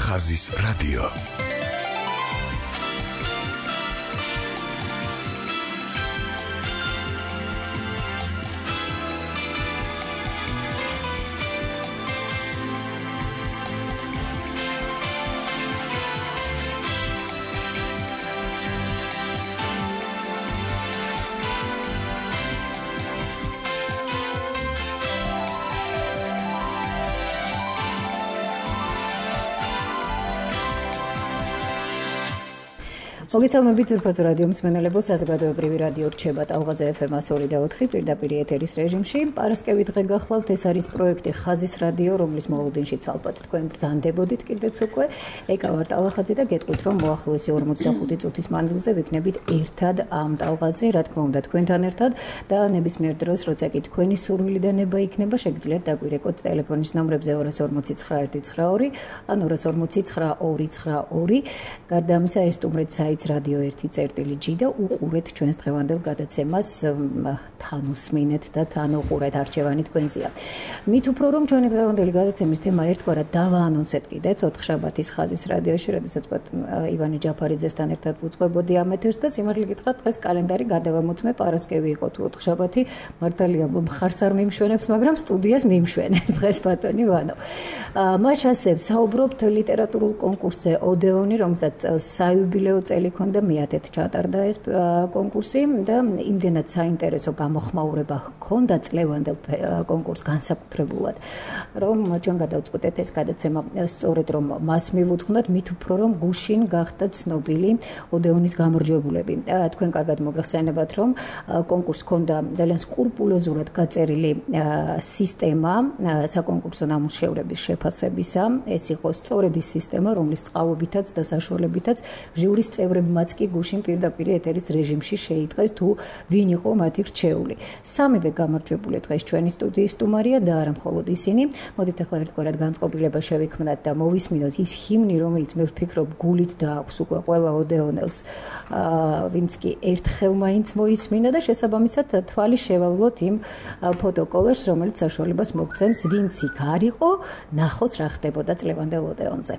ხაზის რადიო. მოგესალმებით ძვირფასო რადიო მსმენელებო, საზოგადოებრივი რადიო რჩება ტალღაზე FM 102.4 პირდაპირ ეთერის რეჟიმში. პარასკევი დღე გახლავთ, ეს არის პროექტი ხაზის რადიო, რომლის მოლოდინშიც ალბათ თქვენ ბრძანდებოდით კიდეც უკვე. ეკა ვარ ტალახაძე და გეტყვით, რომ მოახლოესი 45 წუთის მანძილზე ვიქნებით ერთად ამ ტალღაზე, რა თქმა უნდა თქვენთან ერთად და ნებისმიერ დროს, როცა კი თქვენი სურვილი და ნება იქნება, შეგიძლიათ დაგვირეკოთ ტელეფონის ნომრებზე 240 992 ან 240 922. გარდა ამისა, ესტუმრეთ საიტს Radio 1.G და უყურეთ ჩვენს დღევანდელ გადაცემას, თან უსმინეთ და თან უყურეთ, არჩევანი თქვენზეა. მით უფრო რომ ჩვენი დღევანდელი გადაცემის თემა ერთგვარად დავაანონსეთ კიდეც 4 შაბათის ხაზის რადიოში, როდესაც ივანე ჯაფარიძესთან ერთად ვუძღვებოდი ამ ეთერს და სიმართლე გითხრათ, დღეს კალენდარი გადავამოწმე, პარასკევი იყო თუ 4 შაბათი, მართალია მხარს არ მიმშვენებს, მაგრამ სტუდიას მიმშვენებს დღეს ბატონი ვანო. მას ასევ საუბრობთ ლიტერატურულ კონკურსზე ოდეონი, რომელსაც საიუბილეო წელი ქონდა, მეათედ ჩატარდა ეს კონკურსი და იმდენად საინტერესო გამოხმაურება ჰქონდა წლევანდელ კონკურსს განსაკუთრებულად, რომ ჩვენ გადავწყვეტეთ ეს გადაცემა სწორედ რომ მას მივუძღვნათ, მით უფრო რომ გუშინ გახდა ცნობილი ოდეონის გამარჯვებულები. თქვენ კარგად მოგახსენებათ, რომ კონკურსს ჰქონდა ძალიან სკრუპულოზურად გაწერილი სისტემა საკონკურსო ნამუშევრების შეფასებისა. ეს იყო სწორედ ის სისტემა, რომლის წყალობითაც და საშუალებითაც ჟიურის წევრებმაც კი გუშინ პირდაპირ ეთერის რეჟიმში შეიტყეს თუ ვინ იყო მათი რჩეული. სამივე გამარჯვებული დღეს ჩვენი სტუდიის სტუმარია და არა მხოლოდ ისინი. მოდით ახლა ერთგვარად განწყობილება შევიქმნათ და მოვისმინოთ ის ჰიმნი, რომელიც მე ვფიქრობ გულით დააქვს უკვე ყველა ოდეონელს, ვინც კი ერთხელ მაინც მოისმინა და შესაბამისად თვალი შევავლოთ იმ ფოტოკოლაჟს, რომელიც საშუალებას მოგცემს, ვინც იქ არ იყო, ნახოს რა ხდებოდა წლევანდელ ოდეონზე.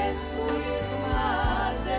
Es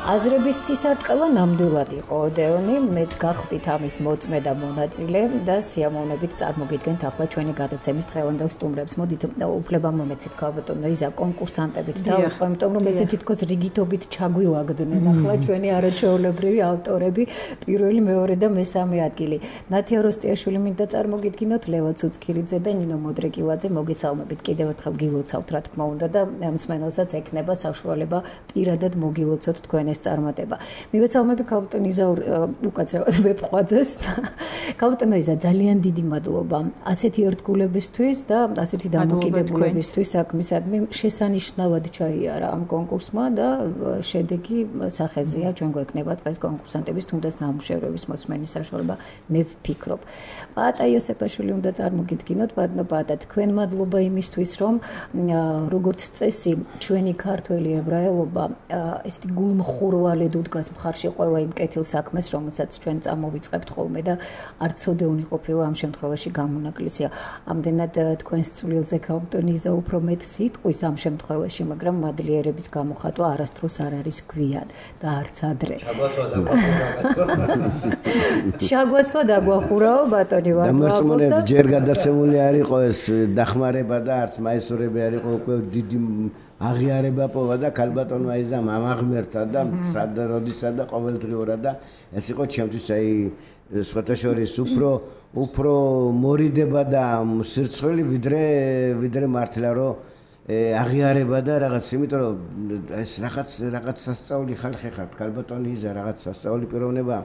აზრების წისარტყელა ნამდვილად იყო ოდეონი, მეც გახდით ამის მოწმე და მონაწილე და სიამოვნებით წარმოგიდგენთ ახლა ჩვენი გადაცემის დღევანდელ სტუმრებს. მოდით უფლება მომეცით ქალბატონო იზა კონკურსანტებით დავიწყო, იმიტომ რომ ესე თითქოს რიგითობით ჩაგვივაგდნენ ახლა ჩვენი არაჩვეულებრივი ავტორები, პირველი, მეორე და მესამე ადგილი. ნათია როსტიაშვილი მინდა წარმოგიდგინოთ, ლელა ცუცქირიძე და ნინო მოდრეკილაძე. მოგესალმებით კიდევ ერთხელ გილოცავთ რა თქმა უნდა და მსმენელსაც ექნება საშუალება პირადად მოგილოცოთ თქვენ წარმატება. მივესალმები ქალბატონ იზა უკაცრავად ვეფხვაძეს. ქალბატონო იზა ძალიან დიდი მადლობა ასეთი ერთგულებისთვის და ასეთი დამოკიდებულებისთვის საქმისადმი. შესანიშნავად ჩაიარა ამ კონკურსმა და შედეგი სახეზეა. ჩვენ გვექნება დღეს კონკურსანტების თუნდაც ნამუშევრების მოსმენის საშუალება. მე ვფიქრობ. პაატა იოსეფაშვილი უნდა წარმოგიდგინოთ. პაატა, თქვენ მადლობა იმისთვის, რომ როგორც წესი ჩვენი ქართველი ებრაელობა ესეთი გულმხურვალედ უდგას მხარში ყველა იმ კეთილ საქმეს, რომელსაც ჩვენ წამოვიწყებთ ხოლმე და არც ოდეონი ყოფილა ამ შემთხვევაში გამონაკლისია. ამდენად თქვენს წვლილზე ქალბატონი იზა უფრო მეტ სიტყვის ამ შემთხვევაში, მაგრამ მადლიერების გამოხატვა არასდროს არ არის გვიან და არც ადრე. შაგვაცვა დაგვახურაო ბატონი ვარდააკოს და ჯერ გადაცემული არ იყო ეს დახმარება და არც მაისურები არ იყო, უკვე დიდი აღიარება პოვა და ქალბატონმა იზამ ამაღმერთა და სადა როდისა და ყოველდღიურად და ეს იყო ჩემთვის აი სხვათა შორის უფრო მორიდება და სირცხვილი ვიდრე მართლა რომ აღიარება და რაღაც, იმიტომ რომ ეს რაღაც სასწაული ხალხი ხართ, ქალბატონი იზა რაღაც სასწაული პიროვნება.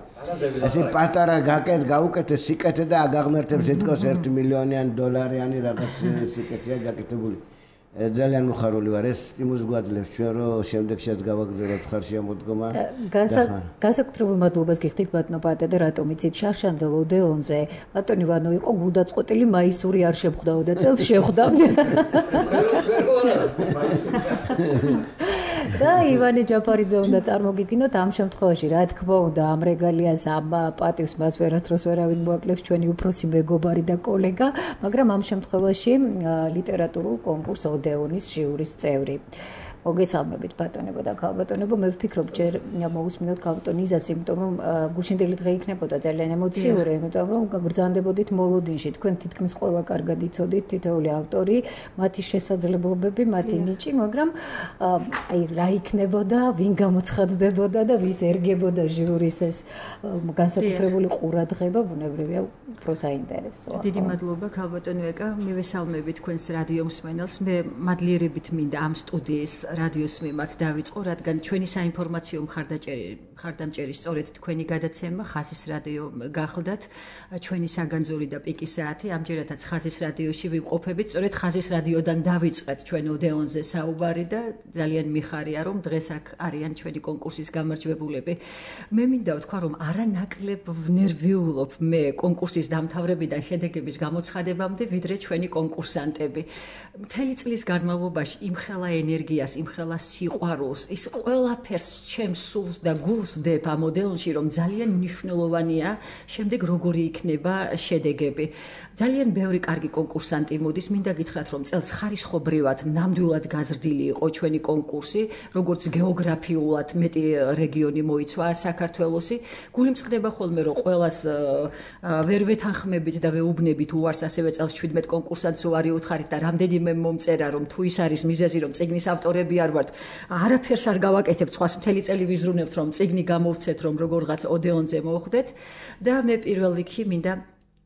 ესე პატარა გაუკეთე სიკეთე და აგაღმერთებს ეთქოს 1 მილიონიანი დოლარიანი რაღაც სიკეთეა გაკეთებული. ძალიან მოხარული ვარ, ეს სტიმულს გვაძლევს ჩვენ რომ შემდეგშიც გავაგზავნოთ ხარშია მოდგომა. განსაკუთრებულ მადლობას გიხდით ბატონო პაატა და რატომ იცით შარშანდელ ოდეონზე ბატონი ვანო იყო გულდაწყვეტილი მაისური არ შეხვდაო და წელს შეხვდა. და ივანე ჯაფარიძე უნდა წარმოგიდგინოთ ამ შემთხვევაში რა თქმა უნდა ამ რეგალიას ამ პატივს მას ვერასდროს ვერავინ მოაკლებს ჩვენი უფროსი მეგობარი და კოლეგა, მაგრამ ამ შემთხვევაში ლიტერატურულ კონკურს ოდეონის ჟიურის წევრი. მოგესალმებით ბატონებო და ქალბატონებო, მე ვფიქრობ ჯერ მოусმინოთ ქალბატონი იზას, იმიტომ რომ გუშინდელი დღე იქნებოდა ძალიან ემოციური, იმიტომ რომ ბრძანდებოდით მოლოდინში, თქვენ თითქმის ყველა კარგად იცოდით თითოეული ავტორი, მათი შესაძლებლობები, მათი ნიჭი, მაგრამ აი რა იქნებოდა, ვინ გამოცხადდებოდა და ვის ერგებოდა ჟიურის ეს განსაკუთრებული ყურადღება, ბუნებრივია უფრო საინტერესოა. დიდი მადლობა ქალბატონო ეკა, მივესალმებით თქვენს რადიო მსმენელს. მე მადლიერებით მინდა ამ სტუდიის რადიოს მიმართ დავიწყო, რადგან ჩვენი საინფორმაციო მხარდამჭერი სწორედ თქვენი გადაცემა ხაზის რადიო გახლდათ, ჩვენი საგანძური და პიკის საათი. ამჯერადაც ხაზის რადიოში ვიმყოფებით, სწორედ ხაზის რადიოდან დავიწყეთ ჩვენ ოდეონზე საუბარი და ძალიან მიხარია, რომ დღეს აქ არიან ჩვენი კონკურსის გამარჯვებულები. მე მინდა ვთქვა, რომ არანაკლებ ვნერვიულობ მე კონკურსის დამთავრებიდან შედეგების გამოცხადებამდე, ვიდრე ჩვენი კონკურსანტები. მთელი წლის განმავლობაში იმხელა ენერგიას, იმხელა სიყვარულს, ის ყველაფერს ჩემს სულს და გულს დებ ამ ოდეონში, რომ ძალიან მნიშვნელოვანია შემდეგ როგორი იქნება შედეგები. ძალიან ბევრი კარგი კონკურსანტი მოდის, მინდა გითხრათ, რომ წელს ხარისხობრივად ნამდვილად გაზრდილი იყო ჩვენი კონკურსი, როგორც გეოგრაფიულად მეტი რეგიონი მოიცვა საქართველოსი. გული მწყდება ხოლმე, რომ ყველას ვერ ვეთანხმებით და ვეუბნებით უარს, ასევე წელს 17 კონკურსანტს უარი უთხარით და რამდენიმე მომწერა, რომ თუ ის არის მიზეზი, რომ წიგნის ავტორები არ ვართ, არაფერს არ გავაკეთებთ, სხვას მთელი წელი ვიზრუნებთ, რომ წიგნი გამოვცეთ, რომ როგორღაც ოდეონზე მოხვდეთ და მე პირველ რიგში მინდა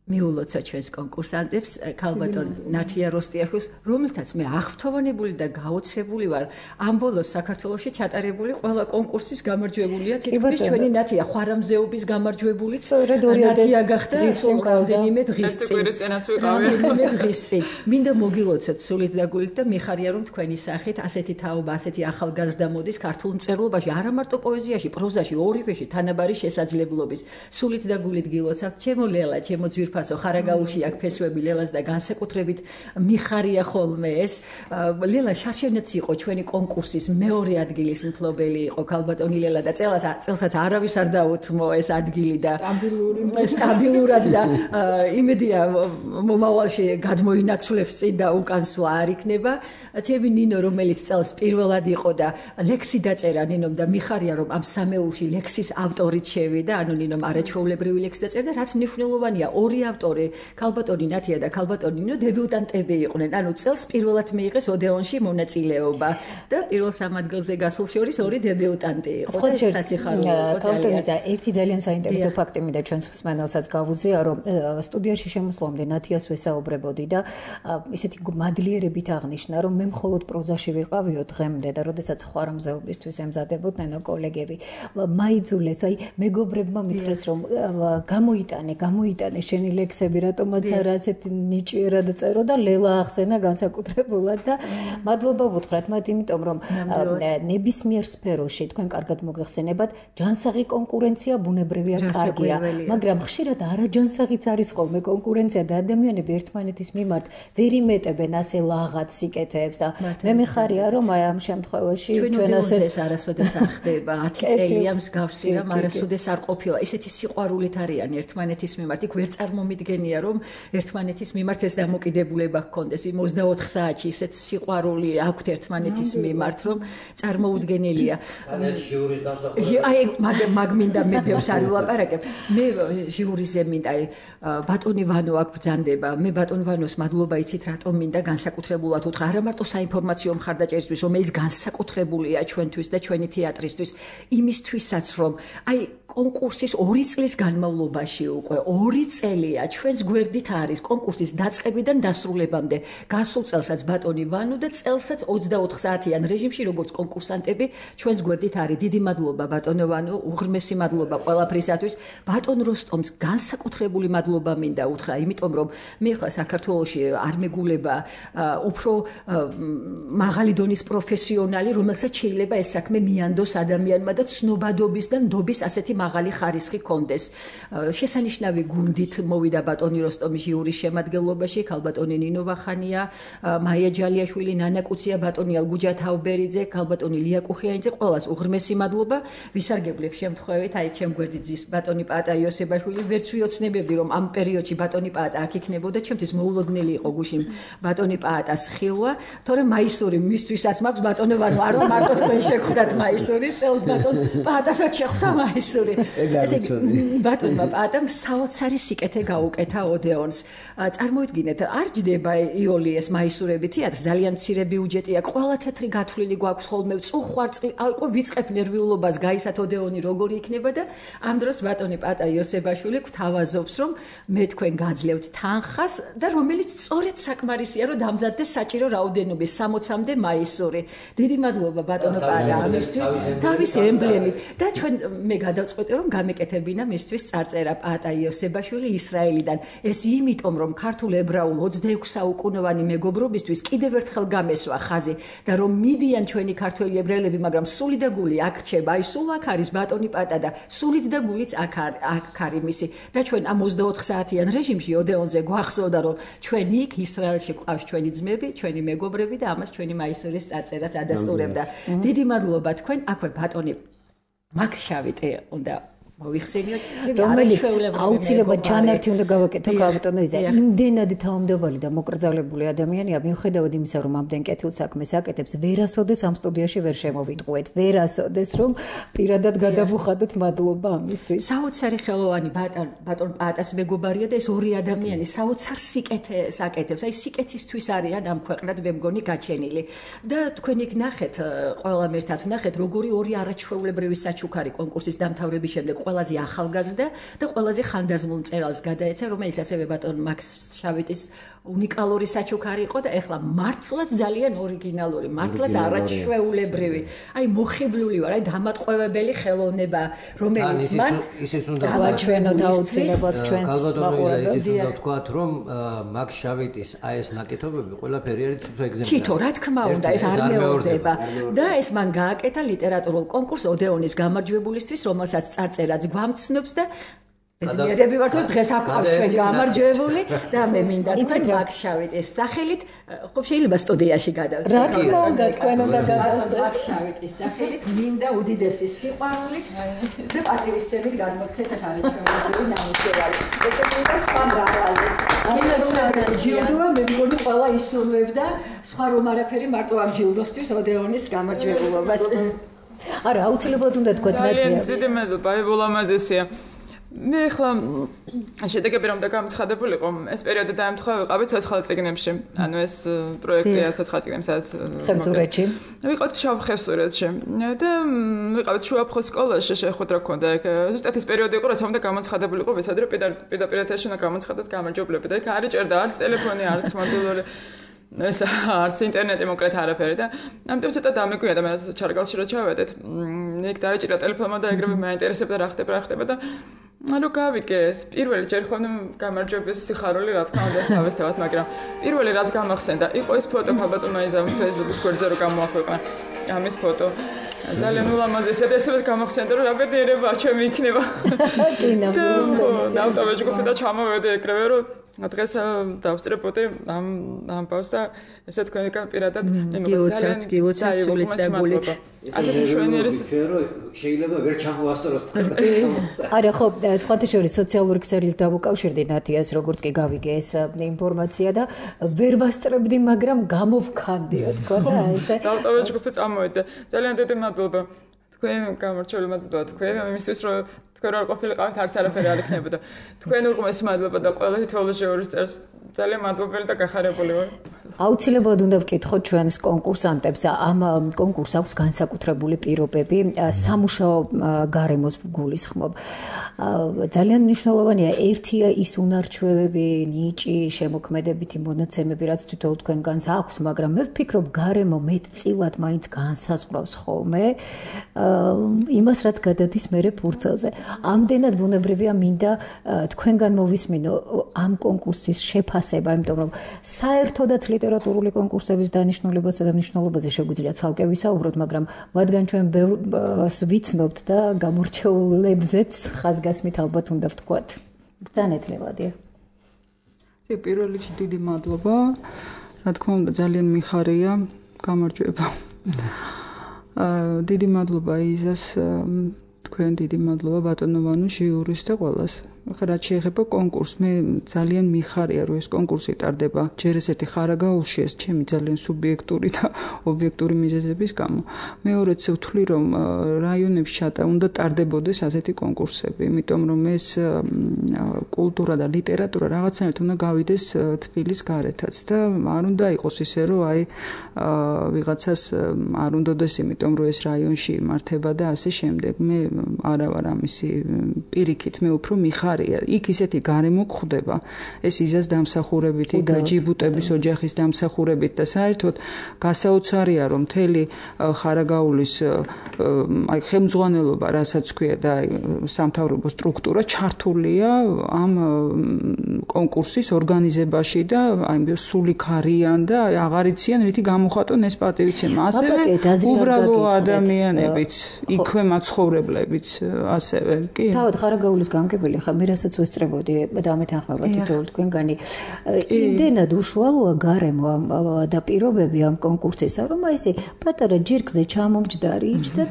მიულოცა ჩვენს კონკურსანტებს, ქალბატონ ნათია როსტიაშვილს, რომელთაც მე აღფრთოვანებული და გაოცებული ვარ. ამ ბოლოს საქართველოში ჩატარებული ყველა კონკურსის გამარჯვებულია, თითქმის ჩვენი ნათია ხვარამზეობის გამარჯვებული. ნათია გახდა რამდენიმე დღის წინ. მინდა მოგილოცოთ სულით და გულით და მიხარია, რომ თქვენი სახით ასეთი თაობა, ასეთი ახალგაზრდა მოდის ქართულ მწერლობაში, არა მარტო პოეზიაში, პროზაში, ორივეში თანაბარი შესაძლებლობის. სულით და გულით გილოცავთ, ჩემო ლელა, ჩემო ძვირფასო ძვირფასო ხარაგაულში აქ ფესვები ლელას და განსაკუთრებით მიხარია ხოლმე ეს. ლელა შარშენეც იყო ჩვენი კონკურსის მეორე ადგილის მფლობელი იყო ქალბატონი ლელა და წელსაც არავის არ დაუთმო ეს ადგილი და სტაბილურად და იმედია მომავალში გადმოინაცვლებს წინ და უკანსვლა არ იქნება. ჩემი ნინო რომელიც წელს პირველად იყო და ლექსი დაწერა ნინომ და მიხარია რომ ამ სამეულში ლექსის ავტორიც შევიდა, ანუ ნინომ არაჩვეულებრივი ლექსი დაწერა და რაც მნიშვნელოვანია, ორი ავტორი, ქალბატონი ნათია და ქალბატონი ნინო დებიუტანტები იყვნენ. ანუ წელს პირველად მიიღეს ოდეონში მონაწილეობა და პირველ სამ ადგილზე გასულ შორის ორი დებიუტანტი იყო. ქალბატონისა ერთი ძალიან საინტერესო ფაქტი მინდა ჩვენს მსმენელსაც გავუზიარო, რომ სტუდიაში შემოსვლამდე ნათიას ვესაუბრებოდი და ისეთი მადლიერებით აღნიშნა, რომ მე მხოლოდ პროზაში ვიყავიო დღემდე და როდესაც ხვარამზეობისთვის ემზადებოდნენ კოლეგები, მაიძულეს, აი მეგობრებმა მითხრეს, რომ გამოიტანე შენი ლექსები, რატომაც არა ასეთი ნიჭიერად წერო და ლელა ახსენა განსაკუთრებულად და მადლობა ვუთხრათ მათ, იმიტომ რომ ნებისმიერ სფეროში თქვენ კარგად მოგეხსენებათ, ჯანსაღი კონკურენცია ბუნებრივია, კარგია, მაგრამ ხშირად არაჯანსაღიც არის ხოლმე კონკურენცია და ადამიანები ერთმანეთის მიმართ ვერ იმეტებენ ასე ლაღად სიკეთეებს და მე მიხარია რომ აი ამ შემთხვევაში ჩვენ ეს არასოდეს არ ხდება 10 წელია მსგავსი რამ არასოდეს არ ყოფილა ისეთი სიყვარულით არიან ერთმანეთის მიმართ იქ ვერ წარმომიდგენია რომ ერთმანეთის მიმართ ეს დამოკიდებულება ჰქონდეს იმ 24 საათში ისეთ სიყვარული აქვთ ერთმანეთის მიმართ რომ წარმოუდგენელია აი მაგმინდა მე ბევრს არ ვილაპარაკებ მე ჟიურიზე მინდა ბატონი ვანო აქ ბრძანდება მე ბატონ ვანოს მადლობა იცით რატომ მინდა განსაკუთრებულად უთხრა არა მარტო საინფორმაციო მხარდაჭერისთვის რომელიც განსაკუთრებულია ჩვენთვის და ჩვენი თეატრისთვის იმისთვისაც რომ აი კონკურსის 2 წლის განმავლობაში უკვე 2 წელია ჩვენს გვერდით არის კონკურსის დაწყებიდან დასრულებამდე გასულ წელსაც ბატონი ვანო და წელსაც 24 საათიან რეჟიმში როგორც კონკურსანტები ჩვენს გვერდით არის დიდი მადლობა ბატონო ვანო უღრმესი მადლობა ყველაფრისათვის ბატონ როსტომს განსაკუთრებული მადლობა მინდა უთხრა იმიტომ რომ მე ხა საქართველოში არ მეგულება უფრო მაღალი დონის პროფესიონალი რომელსაც შეიძლება ეს საქმე მიანდოს ადამიანმა და ცნობადობის და ნდობის ასეთი მაღალი ხარისხი კონდეს შესანიშნავი გუნდით მოვიდა ბატონი როსტომის ჟიურის შემადგენლობაში ქალბატონი ნინო ვახანია მაია ჯალიაშვილი ნანა კუცია ბატონი ალგუჯა თავბერიძე ქალბატონი ლია კუხიანიძე ყველას უღრმესი მადლობა ვისარგებლებ შემთხვევით აი ჩემ გვერდით ზის ბატონი პაატა იოსებაშვილი ვერც ვიოცნებებდი რომ ამ პერიოდში ბატონი პაატა აქ იქნებოდა ჩემთვის მოულოდნელი იყო გუშინ ბატონი პაატას ხილვა თორემ მაისური მისთვისაც მაქვს ბატონო ვანო არ მარტო თქვენ შეგხვდათ მაისური წელს ბატონ პაატასაც შეხვდა მაისური ესე ბატონმა პაატამ საოცარი სიკეთე გაუკეთა ოდეონს წარმოიდგინეთ არ ჯდება იოლიეს მაისურები თეატრს ძალიან მცირე ბიუჯეტი აქვს ყველა თეთრი გათვლილი გვაქვს ხოლმე წუხვარწყლი აიყო ვიწყებ ნერვიულობას გაისათ ოდეონი როგორი იქნება და ამ დროს ბატონი პაატა იოსებაშვილი გვთავაზობს რომ მე თქვენ გაძლევთ თანხას და რომელიც სწორედ საკმარისია რომ დამზადდეს საჭირო რაოდენობის 60-მდე მაისური დიდი მადლობა ბატონო პაატა ამისთვის თავის ემბლემით და ჩვენ მე გადავწყვეტე რომ გამეკეთებინა მისთვის წარწერა პაატა იოსებაშვილი ისრაელიდან ეს იმიტომ რომ ქართულ ებრაულ 26 საუკუნოვანი მეგობრობისთვის კიდევ ერთხელ გამესვა ხაზი და რომ მიდიან ჩვენი ქართველი ებრაელები მაგრამ სული და გული აქ რჩება აი სულ აქ არის ბატონი პაატა და სულით და გულით აქ არის მისი და ჩვენ ამ 24 საათიან რეჟიმში ოდეონზე გვახსოვდა რომ ჩვენ იქ ისრაელში გვყავს ჩვენი ძმები ჩვენი მეგობრები და ამას ჩვენი მაისურის წარწერაც ადასტურებდა დიდი მადლობა თქვენ აქვე ბატონი მაქს შავიტე უნდა მოვიხსენიოთ რომელიც აუცილებლად ჩანართი უნდა გავაკეთო ქალბატონიზე იმდენად თავმდაბალი და მოკრძალებული ადამიანია მიუხედავად იმისა რომ ამდენ კეთილ საქმეს აკეთებს ვერასოდეს ამ სტუდიაში ვერ შემოვიტყუეთ ვერასოდეს რომ პირადად გადავუხადოთ მადლობა ამისთვის საოცარი ხელოვანი ბატონ პაატას მეგობარია და ეს ორი ადამიანი საოცარ სიკეთეს აკეთებს აი სიკეთისთვის არიან ამ ქვეყნად მე მგონი გაჩენილი და თქვენ იქ ნახეთ ყველა ერთად ნახეთ როგორი ორი არაჩვეულებრივი საჩუქარი კონკურსის დამთავრების შემდეგ ყველაზე ახალგაზრდა და ყველაზე ხანდაზმულ მწერალს გადაეცა, რომელიც ასევე ბატონ მაქს შავიტის უნიკალური საჩუქარი იყო და ეხლა მართლაც ძალიან ორიგინალური, მართლაც არაჩვეულებრივი. აი მოხიბლული ვარ, აი დამატყვევებელი ხელოვნება, რომელიც მან ისიც უნდა ჩვენოთ აუცილებლად ჩვენს მაყურებელს. ისიც უნდა ვთქვათ, რომ მაქს შავიტის აი ეს ნაკეთობები ყველაფერი არის თითო ეგზემპლარი. თითო, რა თქმა უნდა, ეს არ მეორდება და ეს მან გააკეთა ლიტერატურულ კონკურს ოდეონის გამარჯვებულისთვის, რომელსაც წარწერაც გვამცნობს და ბედნიერები ვართ, რომ დღეს აქ ვართ ჩვენ გამარჯვებული და მე მინდა თქვენ მაგშავიტის სახელით, ხო შეიძლება სტუდიაში გადავწერ. რა თქმა უნდა, თქვენ უნდა გადავწერ. მაგშავიტის სახელით მინდა უდიდესი სიყვარულით და პატივისცემით გადმოგცეთ ეს არაჩვეულებრივი ნამუშევარი. ესე მინდა სხვა მრავალი. ამიტომ ჯილდოა მე მგონი ყველა ისურვებდა სხვა რომ არაფერი მარტო ამ ჯილდოსთვის ოდეონის გამარჯვებულობას. არა, აუცილებლად უნდა თქვათ ნათია. ძალიან დიდი მადლობა, ბოლომაზესია. მე ახლა შედეგები რომ და გამოცხადებულიყო, ეს პერიოდი დაემთხვა ვიყავით ცოცხალ წიგნებში. ანუ ეს პროექტია ცოცხალ წიგნებში, სადაც ხევსურეთში. ვიყავით შავ ხევსურეთში და ვიყავით შუაფხოს სკოლაში შეხვედრა ქონდა ეგ. ზუსტად ეს პერიოდი იყო, როცა უნდა გამოცხადებულიყო, ვეცადე რომ პირდაპირ ეთერში უნდა გამოცხადოთ გამარჯვებლები და ეგ არ იჭერდა არც ტელეფონი, არც მობილური ეს არც ინტერნეტი მოკლედ არაფერი და ამიტომ ცოტა დამეგვია და მე ჩარგალში რო ჩავედეთ იქ დაიჭირა ტელეფონმა და ეგრევე მაინტერესებდა რა ხდება და ანუ გავიგე ეს პირველი ჯერ ხომ გამარჯვების სიხარული რა თქმა უნდა დავესწავთ მაგრამ პირველი რაც გამახსენდა იყო ეს ფოტო ქალბატონმა იზამ Facebook-ის გვერდზე რო გამოაქვეყნა ამის ფოტო ძალიან ულამაზესია და ესეც გამახსენდა რომ რა ბედნიერება ჩემი იქნება კინა დავტოვე ჯგუფი და ჩამოვედი ეგრევე რომ დღეს დავსწრებოდი ამ პავს და ესე თქვენ პირადად გილოცავთ სულით და გულით ასეთი შვენიერი შეიძლება ვერ ჩამოასწოროს არა ხო სხვათა შორის სოციალური ქსელით დავუკავშირდი ნათიას როგორც კი გავიგე ეს ინფორმაცია და ვერ ვასწრებდი მაგრამ გამოვქანდიო თქო და ესე დავტოვე ჯგუფი წამოვედი ძალიან დიდი მადლობა თქვენ გამორჩეული მადლობა თქვენ იმისთვის რომ თქვენ არ ყოფილიყავით არც არაფერი არ იქნებოდა თქვენ უღმეს მადლობა და ყველა თითოეულ წერს ძალიან მადლობელი და გახარებული ვარ აუცილებლად უნდა ვკითხოთ ჩვენს კონკურსანტებს ამ კონკურსს აქვს განსაკუთრებული პირობები სამუშაო გარემოს გულისხმობ ძალიან მნიშვნელოვანია ერთია ის უნარჩვევები ნიჭი შემოქმედებითი მონაცემები რაც თვითონ თქვენგანს აქვს მაგრამ მე ვფიქრობ გარემო მეტწილად მაინც განსაზღვრავს ხოლმე იმას რაც გადადის მერე ფურცელზე ამდენად ბუნებრივია მინდა თქვენგან მოვისმინო ამ კონკურსის შეფასება იმიტომ რომ საერთოდაც ლიტერატურული კონკურსების დანიშნულებასა და მნიშვნელობაზე შეგვიძლია ცალკე ვისაუბროთ, მაგრამ მათგან ჩვენ ბევრს ვიცნობთ და გამორჩეულებზეც ხაზგასმით ალბათ უნდა ვთქვათ. ბრძანეთ ლევადია. პირველ რიგში დიდი მადლობა. რა თქმა უნდა ძალიან მიხარია გამარჯვება. დიდი მადლობა იზას თქვენ დიდი მადლობა ბატონო ვანუს ჟიურის და ყველას. ახლა რაც შეეხება კონკურსს, მე ძალიან მიხარია, რომ ეს კონკურსი ტარდება ჯერ ესეთი ხარაგაულში, ეს ჩემი ძალიან სუბიექტური და ობიექტური მიზეზების გამო. მეორეც ვთვლი, რომ რაიონებში უნდა ტარდებოდეს ასეთი კონკურსები, იმიტომ რომ ეს კულტურა და ლიტერატურა რაღაცნაირად უნდა გავიდეს თბილის გარეთაც და არ უნდა იყოს ისე, რომ ვიღაცას არ უნდადეს, იმიტომ რომ ეს რაიონში იმართება და ასე შემდეგ. მე არა ვარ ამისი პირიქით, მე უფრო მიხარია იქ ისეთი გარემო გვხვდება ეს იზას დამსახურებით იქ ჯიბუტების ოჯახის დამსახურებით და საერთოდ გასაოცარია რომ მთელი ხარაგაულის აი ხელმძღვანელობა რასაც ქვია და სამთავრობო სტრუქტურა ჩართულია ამ კონკურსის ორგანიზებაში და აი სულიქ არიან და აღარ იციან რითი გამოხატონ ეს პატივიცემა ასევე უბრალო ადამიანებიც იქვე მაცხოვრებლებიც ასევე კი თავად ხარაგაულის გამგებელი ხა მე რასაც ვესწრებოდი და ამეთანხმება თითოეულ თქვენგანი იმდენად უშუალოა გარემო და პირობები ამ კონკურსისა რომ აი ესე პატარა ჯირკზე ჩამომჯდარი იჯდა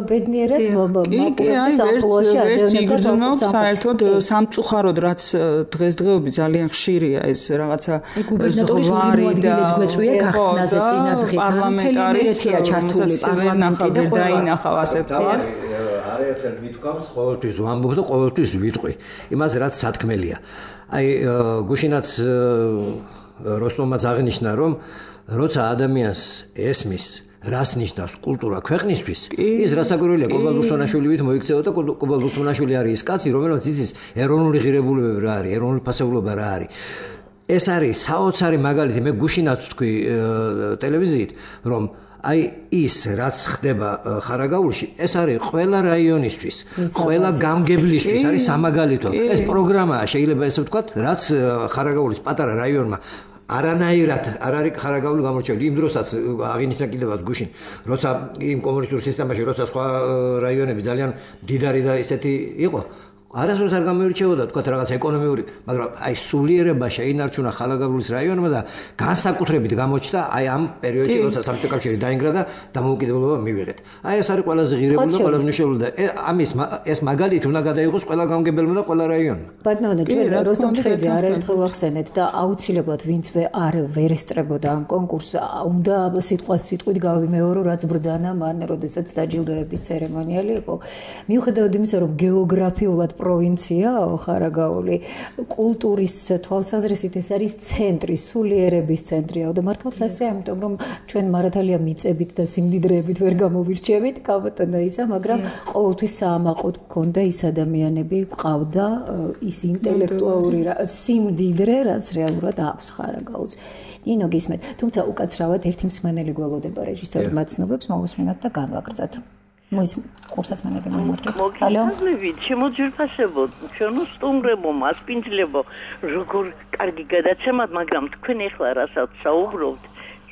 ბედნიერად მოპოვდეს ამპლუაში ადამიანებს საერთოდ სამწუხაროდ რაც დღესდღეობით ძალიან ხშირია ეს რაღაცა ზღვარი და გახსნაზე წინა დღით პარლამენტარია ჩართული პარლამენტი და დაინახავ ასე არაერთხელ მithქვამს ყოველთვის ვამბობ და ყოველთვის ვიტყვი იმას რაც სათქმელია აი გუშინაც როსტომაც აღნიშნა რომ როცა ადამიანს ესმის რას ნიშნავს კულტურა ქვეყნისთვის ის რასაკვირველია კობალ რუსონაშვილივით მოიქცევა და კობალ რუსონაშვილი არის ის კაცი რომელსაც იცის ეროვნული ღირებულებები რა არის ეროვნული ფასეულობა რა არის ეს არის საოცარი მაგალითი მე გუშინაც ვთქვი ტელევიზიით რომ აი ის რაც ხდება ხარაგაულში ეს არის ყველა რაიონისთვის ყველა გამგებლისთვის არის სამაგალითო ეს პროგრამაა შეიძლება ესე ვთქვათ რაც ხარაგაულის პატარა რაიონმა არანაირად არ არის ხარაგაული გამორჩეული იმ დროსაც აღინიშნა კიდევაც გუშინ როცა იმ კომუნისტურ სისტემაში როცა სხვა რაიონები ძალიან დიდარი და ისეთი იყო არასდროს არ გამოირჩეოდა თქვა რაღაც ეკონომიური, მაგრამ აი სულიერება შეინარჩუნა ხალაგაბულის რაიონმა და განსაკუთრებით გამოჩნდა აი ამ პერიოდში, როცა საბჭოთა კავშირი დაინგრა და დამოუკიდებლობა მივიღეთ. აი ეს არის ყველაზე ღირებული და ყველაზე მნიშვნელოვანი და ამის ეს მაგალითი უნდა გადაიღოს ყველა გამგებელმა და ყველა რაიონმა. ბატონო, ჩვენ როსტომ ჩხეიძე არაერთხელ ვახსენეთ და აუცილებლად ვინცვე ვერ ესწრებოდა ამ კონკურსს, უნდა სიტყვით გავიმეორო, რაც ბრძანა მან, როდესაც დაჯილდოების ცერემონიალი იყო. მიუხედავად იმისა, რომ გეოგრაფიულად პროვინციაა ხარაგაული, კულტურის თვალსაზრისით ეს არის ცენტრი, სულიერების ცენტრია და მართლაც ასე, ამიტომ რომ ჩვენ მართალია მიწებით და სიმდიდრეებით ვერ გამოვირჩევით, კაბატონო ისა, მაგრამ ყოველთვის საამაყოდ გქონდა ის ადამიანები, ყავდა ის ინტელექტუალური სიმდიდრე, რაც რეალურად აქვს ხარაგაულს. ნინო გისმენთ, თუმცა უკაცრავად ერთი მსმენელი გველოდება რეჟისორი მაცნობებს მოვუსმინოთ და განვაგრძოთ. მოის კურსასმენები მომართვით. მოგიწევით, შემოძვირფასებო, ჩვენო სტუმრებო, მასპინძლებო, როგორ კარგი გადაცემად, მაგრამ თქვენ ახლა რასაც საუბრობთ,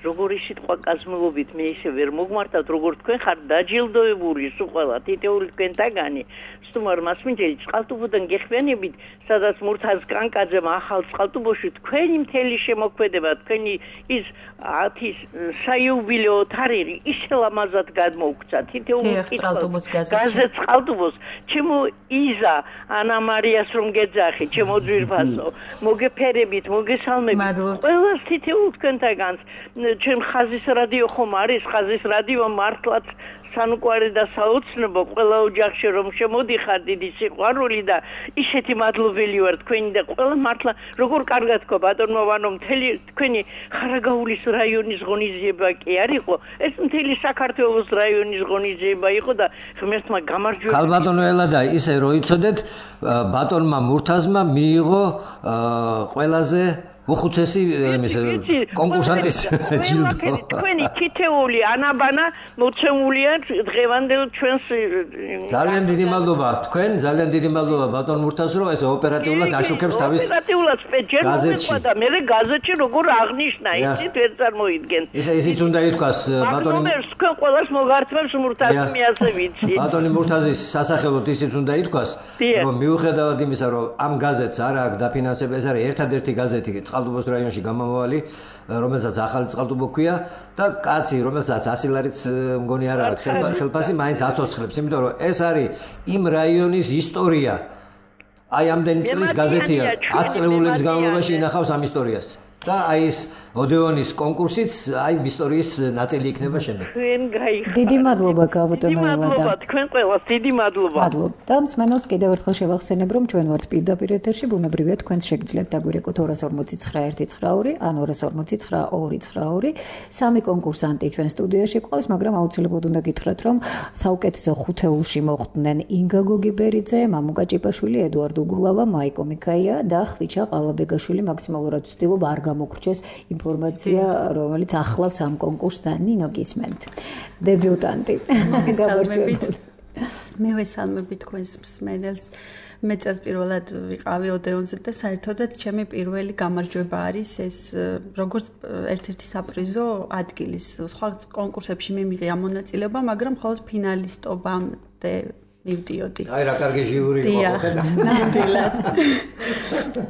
როგორი სიტყვა კაზმულობით მე ისე ვერ მოგმართავთ, როგორ თქვენ ხარ დაჯილდოებული სულ ყველა თითოეული თქვენთაგანი. სტუმარ მასპინძელი წყალტუბოდან გეხვიანებით, სადაც მურთაზ კანკაძემ ახალ წყალტუბოში თქვენი მთელი შემოქმედება, თქვენი ის 10 საიუბილეო თარიღი ისე ლამაზად გადმოგვცა. თითოეული წყალტუბოს გაზეთ წყალტუბოს, ჩემო იზა ანა მარიას რომ გეძახი, ჩემო ძვირფასო, მოგეფერებით, მოგესალმებით. ყველას თითოეულ თქვენთაგანს, ჩვენ ხაზის რადიო ხომ არის, ხაზის რადიო მართლაც სანუკვარი და საოცნებო ყველა ოჯახში რომ შემოდიხარ დიდი სიყვარული და ისეთი მადლობელი ვარ თქვენი და ყველა მართლა როგორ კარგად გქო ბატონო ვანო მთელი თქვენი ხარაგაულის რაიონის ღონისძიება კი არ იყო ეს მთელი საქართველოს რაიონის ღონისძიება იყო და ღმერთმა გამარჯვება ქალბატონო ელადა ისე რო იცოდეთ ბატონმა მურთაზმა მიიღო ყველაზე უხუცესი კონკურსანტის ჯილდო. თქვენი თითეული ანაბანა მოცემულია დღევანდელ ჩვენს ძალიან დიდი მადლობა თქვენ, ძალიან დიდი მადლობა ბატონ მურთაზ რომ ეს ოპერატიულად აშუქებს თავის ოპერატიულად სპეციალურად და მე გაზეთში როგორ აღნიშნა ისიც ვერ წარმოიდგენ. ისიც უნდა ითქვას ბატონი თქვენ ყველას მოგართმევს მურთაზი მე ასე ვიცი. ბატონი მურთაზის სასახელოდ ისიც უნდა ითქვას რომ მიუხედავად იმისა რომ ამ გაზეთს არ აქვს დაფინანსება ეს არის ერთადერთი გაზეთი წყალტუბოს რაიონში გამომავალი, რომელსაც ახალი წყალტუბო ქვია და კაცი, რომელსაც 100 ლარიც მგონი არ აქვს ხელფასი, მაინც აცოცხლებს, იმიტომ რომ ეს არის იმ რაიონის ისტორია. აი ამდენი წლის გაზეთია, 10 წლების განმავლობაში ინახავს ამ ისტორიას. და აი ეს ოდეონის კონკურსიც აი ისტორიის ნაწილი იქნება შემდეგ. თქვენ გაიხარეთ. დიდი მადლობა გაბატონო ელადა. მადლობა თქვენ ყველას, დიდი მადლობა. მადლობა. და მსმენელს კიდევ ერთხელ შევახსენებ, რომ ჩვენ ვართ პირდაპირ ეთერში, ბუნებრივია თქვენს შეგიძლიათ დაგვირეკოთ 249 192 ან 249 სამი კონკურსანტი ჩვენ სტუდიაში ყავს, მაგრამ აუცილებლად უნდა გითხრათ, რომ საუკეთესო ხუთეულში მოხვდნენ ინგა გოგიბერიძე, მამუკა ჭიპაშვილი, ედუარდ უგულავა, მაიკო მიქაია და ხვიჩა ყალაბეგაშვილი. მაქსიმალურად ვცდილობ არ გამოგრჩეს ინფორმაცია, რომელიც ახლავს ამ კონკურსს და ნინო გისმენთ. დებიუტანტი. მე ვესალმები თქვენს მსმენელს. მე წელსპირველად ვიყავი ოდეონზე და საერთოდაც ჩემი პირველი გამარჯვება არის ეს როგორც ერთ-ერთი საპრიზო ადგილის. სხვა კონკურსებში მე მივიღე მონაწილეობა, მაგრამ მხოლოდ ფინალისტობამდე მივდიოდი. აი რა კარგი ჟიური იყო ხედა. ნამდვილად.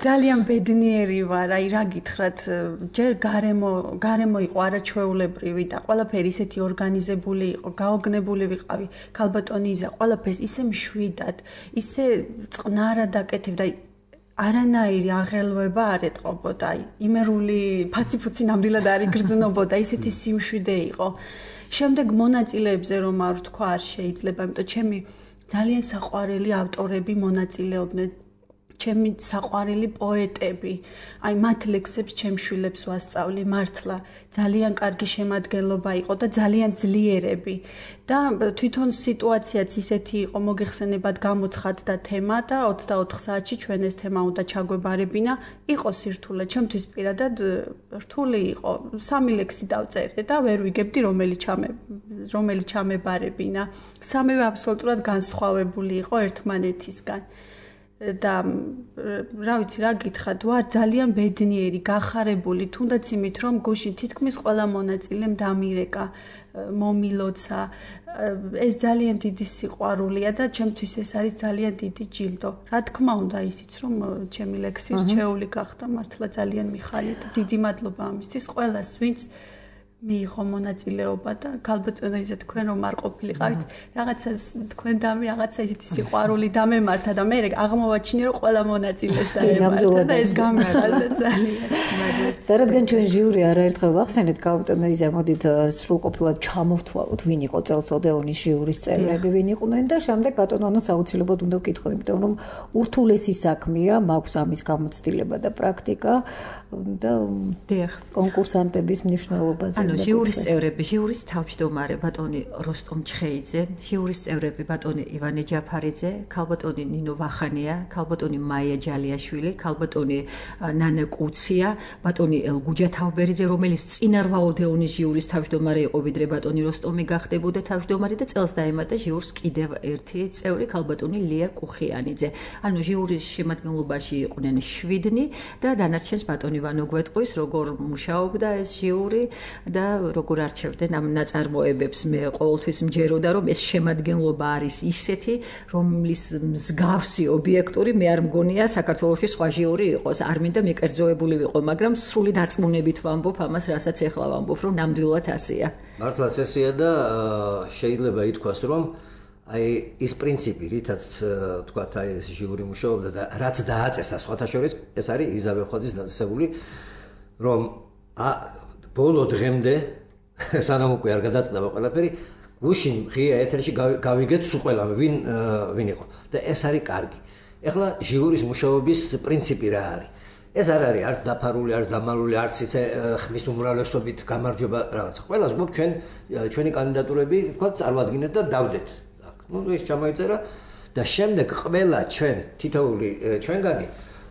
ძალიან ბედნიერი ვარ, აი რა გითხრათ, ჯერ გარემო იყო არაჩვეულებრივი და ყველაფერი ისეთი ორგანიზებული იყო, გაოგნებული ვიყავი. ქალბატონი იზა ყველაფერს ისე მშვიდად, ისე წყნარად აკეთებდა. არანაირი აღელვება არ ეტყობოდა, აი იმერული ფაციფუცი ნამდვილად არ იგრძნობოდა, ისეთი სიმშვიდე იყო. შემდეგ მონაწილეებზე რომ არ ვთქვა არ შეიძლება, იმიტომ ჩემი ძალიან საყვარელი ავტორები მონაწილეობდნენ, ჩემი საყვარელი პოეტები, აი მათ ლექსებს ჩემ შვილებს ვასწავლი, მართლა ძალიან კარგი შემადგენლობა იყო და ძალიან ძლიერები და თვითონ სიტუაციაც ისეთი იყო, მოგეხსენებათ გამოცხადდა თემა და 24 საათში ჩვენ ეს თემა უნდა ჩაგვებარებინა, იყო სირთულე, ჩემთვის პირადად რთული იყო, 3 ლექსი დავწერე და ვერ ვიგებდი რომელი ჩამებარებინა, სამივე აბსოლუტურად განსხვავებული იყო ერთმანეთისგან. და რა ვიცი რა გითხრათ, ვარ ძალიან ბედნიერი, გახარებული, თუნდაც იმით, რომ გუშინ თითქმის ყველა მონაწილემ დამირეკა, მომილოცა, ეს ძალიან დიდი სიყვარულია და ჩემთვის ეს არის ძალიან დიდი ჯილდო. რა თქმა უნდა ისიც რომ ჩემი ლექსის ჩეული გახდა მართლა ძალიან მიხარია და დიდი მადლობა ამისთვის ყველას ვინც მიიღო მონაწილეობა და ქალბატონო იზა თქვენ რომ არ ყოფილიყავით რაღაცა თქვენ დამი რაღაცა ისეთი სიყვარული დამემართა და მე აღმოვაჩინე რომ ყველა მონაწილეს დაემართა და ეს გამიხარდა ძალიან. და რადგან ჩვენ ჟიური არაერთხელ ვახსენეთ ქალბატონო იზა მოდით სრულყოფილად ჩამოვთვალოთ ვინ იყო წელს ოდეონის ჟიურის წევრები ვინ იყვნენ და შემდეგ ბატონოს აუცილებლად უნდა ვკითხო იმიტომ რომ ურთულესი საქმეა მაქვს ამის გამოცდილება და პრაქტიკა და კონკურსანტების მნიშვნელობაზე ჟიურის წევრები, ჟიურის თავმჯდომარე ბატონი როსტომ ჩხეიძე, ჟიურის წევრები ბატონი ივანე ჯაფარიძე, ქალბატონი ნინო ვახანია, ქალბატონი მაია ჯალიაშვილი, ქალბატონი ნანა კუცია, ბატონი ელგუჯა თავბერიძე, რომელიც წინარვა ოდეონის ჟიურის თავმჯდომარე იყო, ვიდრე ბატონი როსტომი გახდებოდა თავმჯდომარე და წელს დაემატა ჟიურს კიდევ ერთი წევრი, ქალბატონი ლია კუხიანიძე. ანუ ჟიურის შემადგენლობაში იყვნენ 7 და დანარჩენს ბატონი ვანო გვეტყვის, როგორ მუშაობდა ეს ჟიური და როგორ არჩევდნენ ამ ნაწარმოებებს. მე ყოველთვის მჯეროდა რომ ეს შემადგენლობა არის ისეთი, რომლის მსგავსი ობიექტური მე არ მგონია საქართველოში სხვა ჟიური იყოს. არ მინდა მიკერძოებული ვიყო, მაგრამ სრული დარწმუნებით ვამბობ ამას, რასაც ეხლა ვამბობ, რომ ნამდვილად ასეა. მართლაც ესეა და შეიძლება ითქვას, რომ აი ის პრინციპი, რითაც თქვათ აი ეს ჟიური მუშაობდა და რაც დააწესა სხვათა შორის, ეს არის იზაბელ ხვაძის დაწესებული, რომ ბოლო დღემდე სანამ უკვე არ გადაწყვეტა ყველაფერი, გუშინ ღია ეთერში გავიგეთ სულ ყველა ვინ იყო და ეს არის კარგი. ეხლა ჟიურის მუშაობის პრინციპი რა არის? ეს არ არის არც დაფარული, არც დამალული, არც იცი ხმის უმრავლესობით გამარჯვება რაღაცა. ყველას გვაქვს ჩვენი კანდიდატურები, თქვა წარმოადგინეთ და დავდეთ. ნუ ეს ჩამოიწერა და შემდეგ ყველა ჩვენ თითოეული ჩვენგანი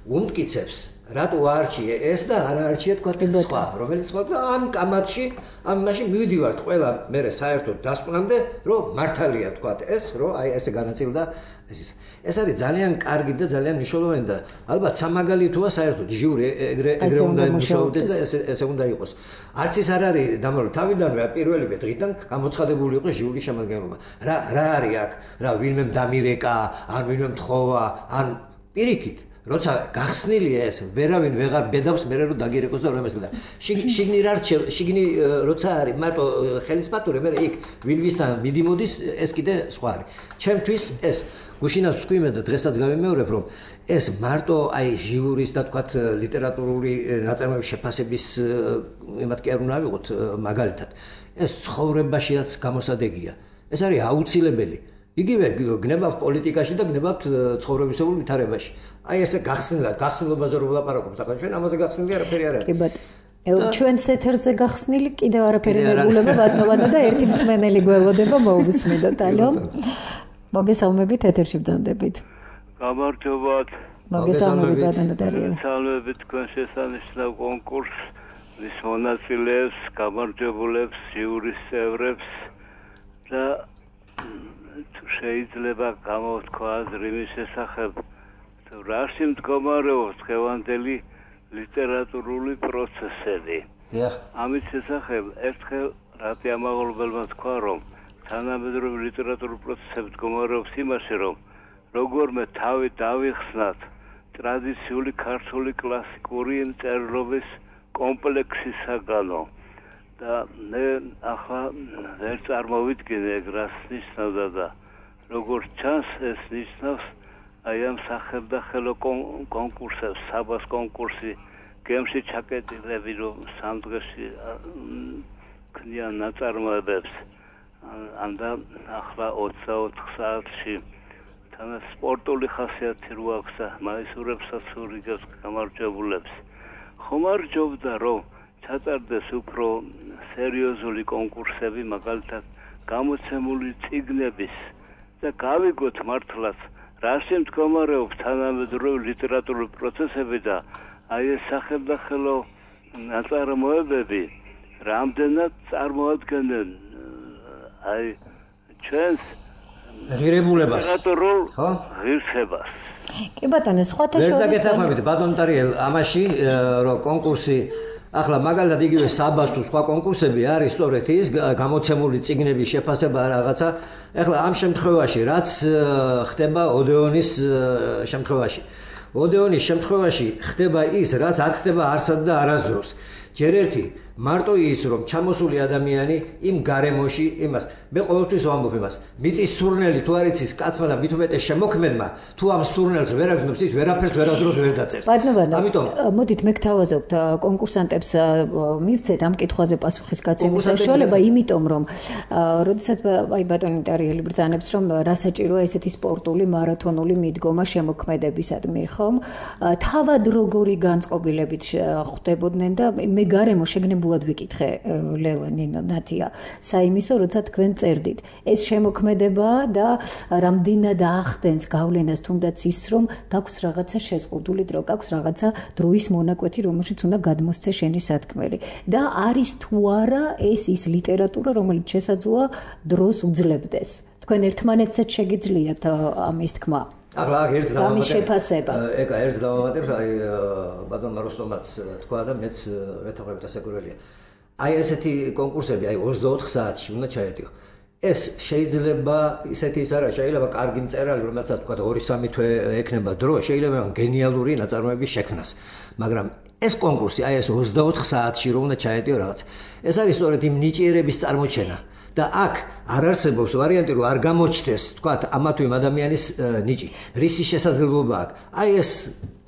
უმტკიცებს რატო არჩიე ეს და არ არჩიე თქვა სხვა, რომელიც სხვა ამ კამათში, ამ მაშინ მივიდივართ ყველა მე საერთოდ დასკვნამდე, რომ მართალია თქვა ეს, რომ აი ესე განაწილდა ეს არის ძალიან კარგი და ძალიან მნიშვნელოვანი და ალბათ სამაგალითოა საერთოდ ჟიური ეგრე უნდა იმუშაოდეს და ესე უნდა იყოს. არც ის არ არის დამალული თავიდანვე პირველივე დღიდან გამოცხადებული იყო ჟიური შემადგენლობა. რა არის აქ? რა ვინმე დამირეკა, ან ვინმე მთხოვა, ან პირიქით როცა გახსნილია ეს ვერავინ ვეღარ ბედავს მე რომ დაგირეკოს და რომ ეს და შიგნი როცა არის მარტო ხელისმატური მე იქ ვილვისთან მიდიმოდის ეს კიდე სხვა არის ჩემთვის ეს გუშინაც თქვი მე და დღესაც გავიმეორებ რომ ეს მარტო აი ჟიურის და თქვათ ლიტერატურული ნაწარმოების შეფასების იმათ კი არ უნდა ავიღოთ მაგალითად ეს ცხოვრებაშიაც გამოსადეგია ეს არის აუცილებელი იგივე გნებავთ პოლიტიკაში და გნებავთ ცხოვრებისეულ ვითარებაში აი ესე გახსნილობაზე რომ ვლაპარაკობთ ახლა ჩვენ ამაზე გახსნილი არაფერი არ არის კი ბატონო ჩვენს ეთერზე გახსნილი კიდევ არაფერი მეგულება ბატონო და ერთი მსმენელი გველოდება მოусმედოთ ალო მოგესალმებით ეთერში ბრძანდებით გამარჯობათ მოგესალმებით ბატონო დარიელა მოგესალმებით თქვენ შესანიშნავ კონკურსს მის მონაწილეებს გამარჯვებულებს ჟიურის წევრებს და შეიძლება გამოვთქვა აზრი მის შესახებ რაში მდგომარეობს დღევანდელი ლიტერატურული პროცესები. ამის შესახებ ერთხელ რატი ამაღლებელმა თქვა რომ თანამედროვე ლიტერატურული პროცესები მდგომარეობს იმაში რომ როგორმე თავი დავიხსნათ ტრადიციული ქართული კლასიკური მწერლობის კომპლექსისაგანო და მე ახლა ვერ წარმოვიდგინე ეგ რას ნიშნავდა და როგორც ჩანს ეს ნიშნავს აი ამ სახელმწიფო კონკურსებს, საბას კონკურსი, გემში ჩაკეტილები რომ სამ დღეში ქნიან ნაწარმოებებს. ანდა ახლა 24 საათში თან სპორტული ხასიათი რო აქვს და მაისურებსაც ურიგებს გამარჯვებულებს. ხომარჯობდა რომ ჩატარდეს უფრო სერიოზული კონკურსები, მაგალითად გამოცემული წიგნების და გავიგოთ მართლაც რაში მდგომარეობს თანამედროვე ლიტერატურული პროცესები და აი ეს სახელმწიფო ნაწარმოებები რამდენად წარმოადგენენ აი ჩვენს ღირებულებას ლიტერატურულ ღირსებას კი ბატონო სხვათა შორის ვერ დაგეთანხმებით ბატონ ტარიელ ამაში რომ კონკურსი ახლა მაგალითად იგივე საბას თუ სხვა კონკურსები არის სწორედ ის გამოცემული წიგნების შეფასება რაღაცა. ახლა ამ შემთხვევაში რაც ხდება ოდეონის შემთხვევაში. ოდეონის შემთხვევაში ხდება ის, რაც არ ხდება არსად და არასდროს. ჯერ ერთი მარტო ის რომ ჩამოსული ადამიანი იმ გარემოში იმას მე ყოველთვის ვამბობ იმას მიწის სურნელი თუ არ იცის კაცმა და მით უმეტეს შემოქმედმა თუ ამ სურნელს ვერ აგზნობს ის ვერაფერს ვერასდროს ვერ დაწერს. ამიტომ მოდით მე გთავაზობთ კონკურსანტებს მივცეთ ამ კითხვაზე პასუხის გაცემის საშუალება, იმიტომ რომ როდესაც აი ბატონი ტარიელი ბრძანებს რომ რა საჭიროა ესეთი სპორტული მარათონული მიდგომა შემოქმედებისადმი, ხომ? თავად როგორი განწყობილებით ხვდებოდნენ და მე გარემო შეგნებულად ვიკითხე ლევანინო ნათია საიმისო, როცა თქვენ წერდით. ეს შემოქმედება და რამდენად ახდენს გავლენას თუნდაც ის, რომ გაქვს რაღაცა შეზღუდული დრო, გაქვს რაღაცა დროის მონაკვეთი, რომელშიც უნდა გადმოსცე შენი სათქმელი. და არის თუ არა ეს ის ლიტერატურა, რომელიც შესაძლოა დროს უძლებდეს. თქვენ ერთმანეთსაც შეგიძლიათ ამის თქმა. ახლა ერთ შეფასება. ეკა ერთ დავამატებ, აი ბატონმა როსტომაც თქვა და მეც ვეთანხმებით ასაკურველია. აი ესეთი კონკურსები, აი 24 საათში უნდა ჩაედიო. ეს შეიძლება ისეთი ის არა, შეიძლება კარგი მწერალი, რომელსაც თქვა 2-3 თვე ექნება დრო, შეიძლება გენიალური ნაწარმოების შექმნას. მაგრამ ეს კონკურსი, აი ეს 24 საათში რომ უნდა ჩაედიო რაღაც. ეს არის სწორედ იმ ნიჭიერების წარმოჩენა. და აქ არ არსებობს ვარიანტი რომ არ გამოჩნდეს, თქვა ამა თუ იმ ადამიანის ნიჭი. რისი შესაძლებლობა აქვს? აი ეს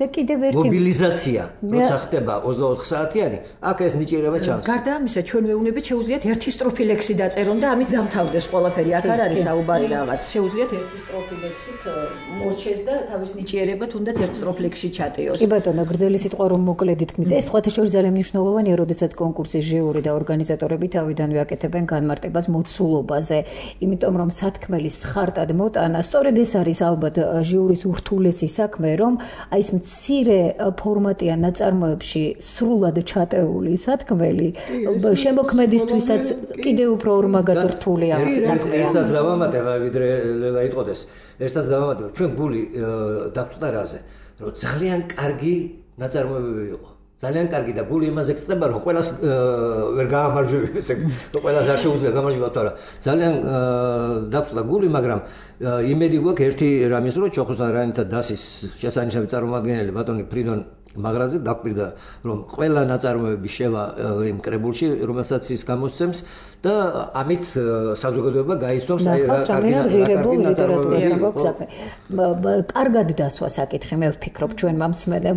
და კიდევ ერთი მობილიზაცია, როცა ხდება 24 საათიანი, აქ ეს ნიჭიერება ჩანს. გარდა ამისა, ჩვენ მეუნები შეუძლიათ ერთი სტროფი ლექსი დაწერონ და ამით დამთავრდეს ყველაფერი. აქ არ არის საუბარი რაღაც. შეუძლიათ ერთი სტროფი ლექსით მორჩეს და თავის ნიჭიერება თუნდაც ერთ სტროფ ლექსში ჩატიოს. კი ბატონო, გრძელი სიტყვა რომ მოკლედ ითქმის. ეს სხვათა შორის ძალიან მნიშვნელოვანია, როდესაც კონკურსის ჟიური და ორგანიზატორები თავიდანვე აკეთებენ განმარტებას მოცულობაზე, იმიტომ რომ სათქმელის ხარტად მოტანა, სწორედ ეს არის ალბათ ჟიურის ურთულესი საქმე, რომ აი ეს მცირე ფორმატიან ნაწარმოებში სრულად ჩატეული სათქმელი შემოქმედისთვისაც კიდევ უფრო ორმაგად რთულია საქმე. ერთსაც დავამატებ, ვიდრე ლელა იტყოდეს. ერთსაც დავამატებ, ჩვენ გული დაგწუდა რაზე, რომ ძალიან კარგი ნაწარმოებები იყო. ძალიან კარგი და გული იმაზე გწდება, რომ ყველას ვერ გაამარჯვებს, ესე რომ ყველას არ შეუძლია გამარჯვება თუ არა. ძალიან დაგწუდა გული, მაგრამ იმედი გვაქვს ერთი რამის, რომ ჩოხოსთან რანითა დასის შესანიშნავი წარმომადგენელი ბატონი ფრიდონ მაგრაძე დაგვირდა, რომ ყველა ნაწარმოები შევა იმ კრებულში, რომელსაც ის გამოსცემს და ამით საზოგადოება გაიცნობს აი რა ღირებულ ლიტერატურასთან გვაქვს საქმე. კარგად დასვა საკითხი, მე ვფიქრობ ჩვენ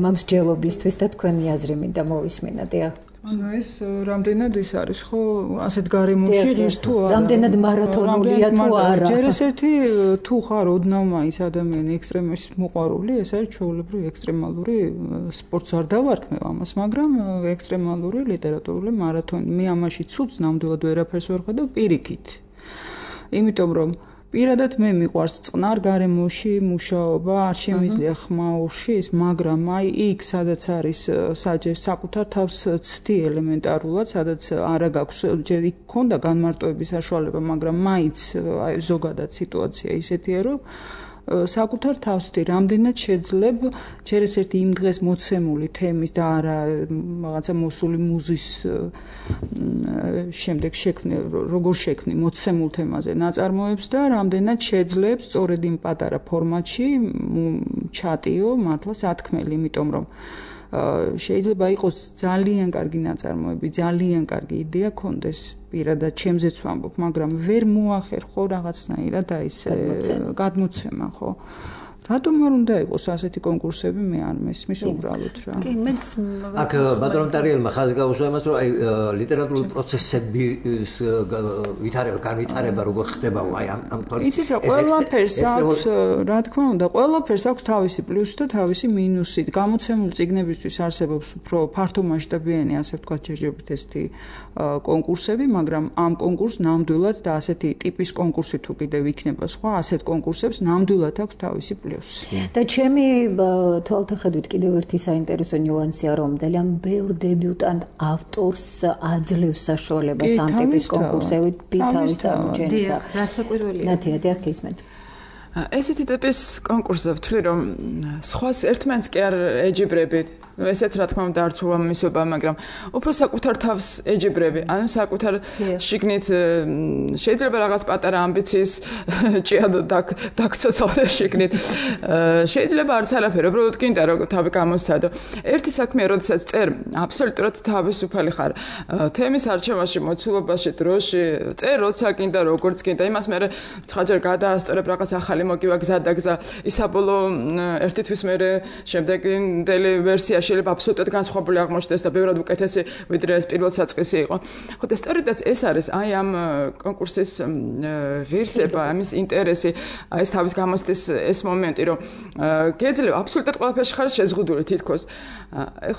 მამსჯელობისთვის და თქვენი აზრი მინდა მოვისმინოთ. ანუ ეს რამდენად ის არის ხო ასეთ გარემოში ღირს თუ არა, რამდენად მარათონულია თუ არა. ჯერ ეს ერთი თუ ხარ ოდნავ მაინც ადამიანი ექსტრემის მოყვარული, ეს არის ჩვეულებრივი ექსტრემალური სპორტს არ დავარქმევ ამას, მაგრამ ექსტრემალური ლიტერატურული მარათონი. მე ამაში ცუდს ნამდვილად ვერაფერს ვერ ხედავ პირიქით. იმიტომ რომ პირადად მე მიყვარს წყნარ გარემოში მუშაობა, არ შემიძლია ხმაურში ის, მაგრამ აი იქ სადაც არის საკუთარ თავს ცდი ელემენტარულად, სადაც არა გაქვს, ჯერ იქ ქონდა განმარტოების საშუალება, მაგრამ მაინც აი ზოგადად სიტუაცია ისეთია, რომ საკუთარ თავსთი რამდენად შეძლებ ჯერ ეს ერთი იმ დღეს მოცემული თემის და არა რაღაცა მოსული მუზის შემდეგ შექმნე როგორ შექმნი მოცემულ თემაზე ნაწარმოებს და რამდენად შეძლებ სწორედ იმ პატარა ფორმატში ჩატიო მართლა სათქმელი, იმიტომ რომ შეიძლება იყოს ძალიან კარგი ნაწარმოები, ძალიან კარგი იდეა კონდეს პირადად ჩემზეც ვამბობ, მაგრამ ვერ მოახერხო რაღაცნაირად აი ეს გადმოცემა, ხო? რატომ არ უნდა იყოს ასეთი კონკურსები, მე არ მესმის უბრალოდ რა. კი, მეც აქ ბატონო ტარიელმა ხაზი გაუსვა იმას, რომ აი ლიტერატურული პროცესების განვითარება როგორ ხდებაო აი ამ თვალს. იცით რა, ყველაფერს აქვს, რა თქმა უნდა, ყველაფერს აქვს თავისი პლუსი და თავისი მინუსი. გამოცემული წიგნებისთვის არსებობს უფრო ფართომასშტაბიანი, ასე ვთქვათ, ჯერჯერობით ესეთი კონკურსები, მაგრამ ამ კონკურსს ნამდვილად და ასეთი ტიპის კონკურსი თუ კიდევ იქნება სხვა, ასეთ კონკურსებს ნამდვილად აქვს თავისი პლუსი. და ჩემი თვალთახედვით კიდევ ერთი საინტერესო ნიუანსია, რომ ძალიან ბევრ დებიუტანტ ავტორს აძლევს საშუალებას ამ ტიპის კონკურსებით თავის წარმოჩენისა. რასაკვირველია. ნათია, დიახ, გისმენთ. ესეთი ტიპის კონკურსზე ვთვლი, რომ სხვას ერთმანეთს კი არ ეჯიბრებით. ესეც რა თქმა უნდა არც უამისობა, მაგრამ უფრო საკუთარ თავს ეჯიბრები, ანუ საკუთარ შიგნით შეიძლება რაღაც პატარა ამბიციის ჭიად დაგცოცავდეს შიგნით. შეიძლება არც არაფერი, უბრალოდ გინდა რომ თავი გამოსცადო. ერთი საქმეა, როდესაც წერ, აბსოლუტურად თავისუფალი ხარ. თემის არჩევაში, მოცულობაში, დროში, წერ როცა გინდა, როგორც გინდა. იმას მე ცხადჯერ გადაასწორებ რაღაც ახალი მოგივა გზა და გზა. ისაბოლოო ერთი თვის მერე შემდეგი დელი ვერსია შეიძლება აბსოლუტურად განსხვავებული აღმოჩნდეს და ბევრად უკეთესი ვიდრე ეს პირველ საწყისი იყო. ხო და სწორედაც ეს არის აი ამ კონკურსის ღირსება, ამის ინტერესი, ეს თავის გამოსთვის ეს მომენტი, რომ გეძლევა აბსოლუტურად ყველაფერში ხარ შეზღუდული თითქოს.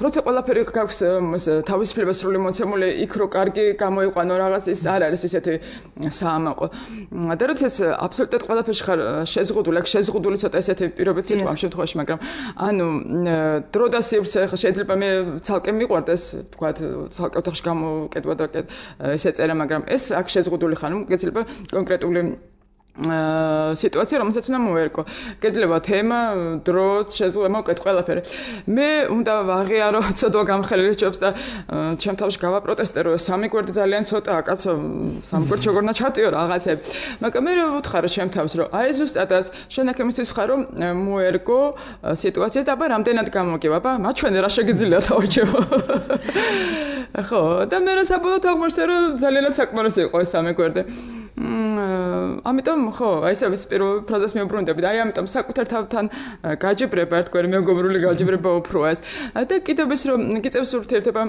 როცა ყველაფერი გაქვს თავისუფლება სრული მოცემული, იქ რო კარგი გამოიყვანო რაღაც ის არ არის ისეთი საამაყო. და როდესაც აბსოლუტურად ყველაფერში ხარ შეზღუდული, აქ შეზღუდული ცოტა ესეთი პირობითი სიტყვა ამ შემთხვევაში, მაგრამ ანუ დრო და სივრცე შეიძლება მე ცალკე მიყვარდეს, თქვათ, ცალკე ოთახში გამოკეთვა და ესე წერა, მაგრამ ეს აქ შეზღუდული ხარ, გეძლება კონკრეტული სიტუაცია, რომელსაც უნდა მოერგო. გეძლება თემა, დროც, შეზღუდვა, მოკეთ ყველაფერი. მე უნდა ვაღიარო ცოდვა გამხელილი ჯობს და ჩემ თავში გავაპროტესტერო, სამი გვერდი ძალიან ცოტაა, კაცო, სამი გვერდი როგორ უნდა ჩატიო რაღაცები. მაგრამ მე ვუთხარო ჩემ თავს, რომ აი ზუსტადაც შენ აქ იმისთვის ხარ, რომ მოერგო სიტუაცია და აბა რამდენად გამოგივა, აბა მაჩვენე რა შეგიძლია თავჩევო. ხო, და მე რა საბოლოოდ აღმოჩნდა, რომ ძალიანაც საკმარისი იყო ეს სამი გვერდი. ამიტომ ხო, აი ეს არის პირველი ფრაზას მეუბრუნდები და აი ამიტომ საკუთარ თავთან გაჯიბრება, ერთგვარი მეგობრული გაჯიბრება უფროა ეს. და კიდევ ის რომ გიწევს ურთიერთობა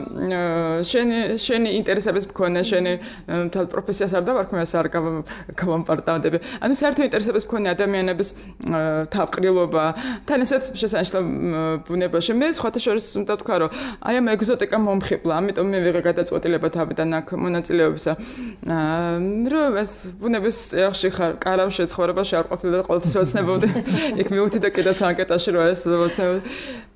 შენი ინტერესების მქონე, შენი თალ პროფესიას არ დავარქმევს, არ გავამპარტავდები. ანუ საერთო ინტერესების მქონე ადამიანების თავყრილობა, თან ესეც შესანიშნავ ბუნებაში. მე სხვათა შორის უნდა ვთქვა, რომ აი ამ ეგზოტიკა მომხიბლა, ამიტომ მე ვიღე გადაწყვეტილება თავიდან აქ მონაწილეობისა. რომ ეს ბუნების წიაღში ხარ, კარავში ცხოვრებაში არ ყოფილი და ყოველთვის ოცნებობდი. იქ მივხვდი და კიდეც ანკეტაში რომ ეს ოცნებობდი.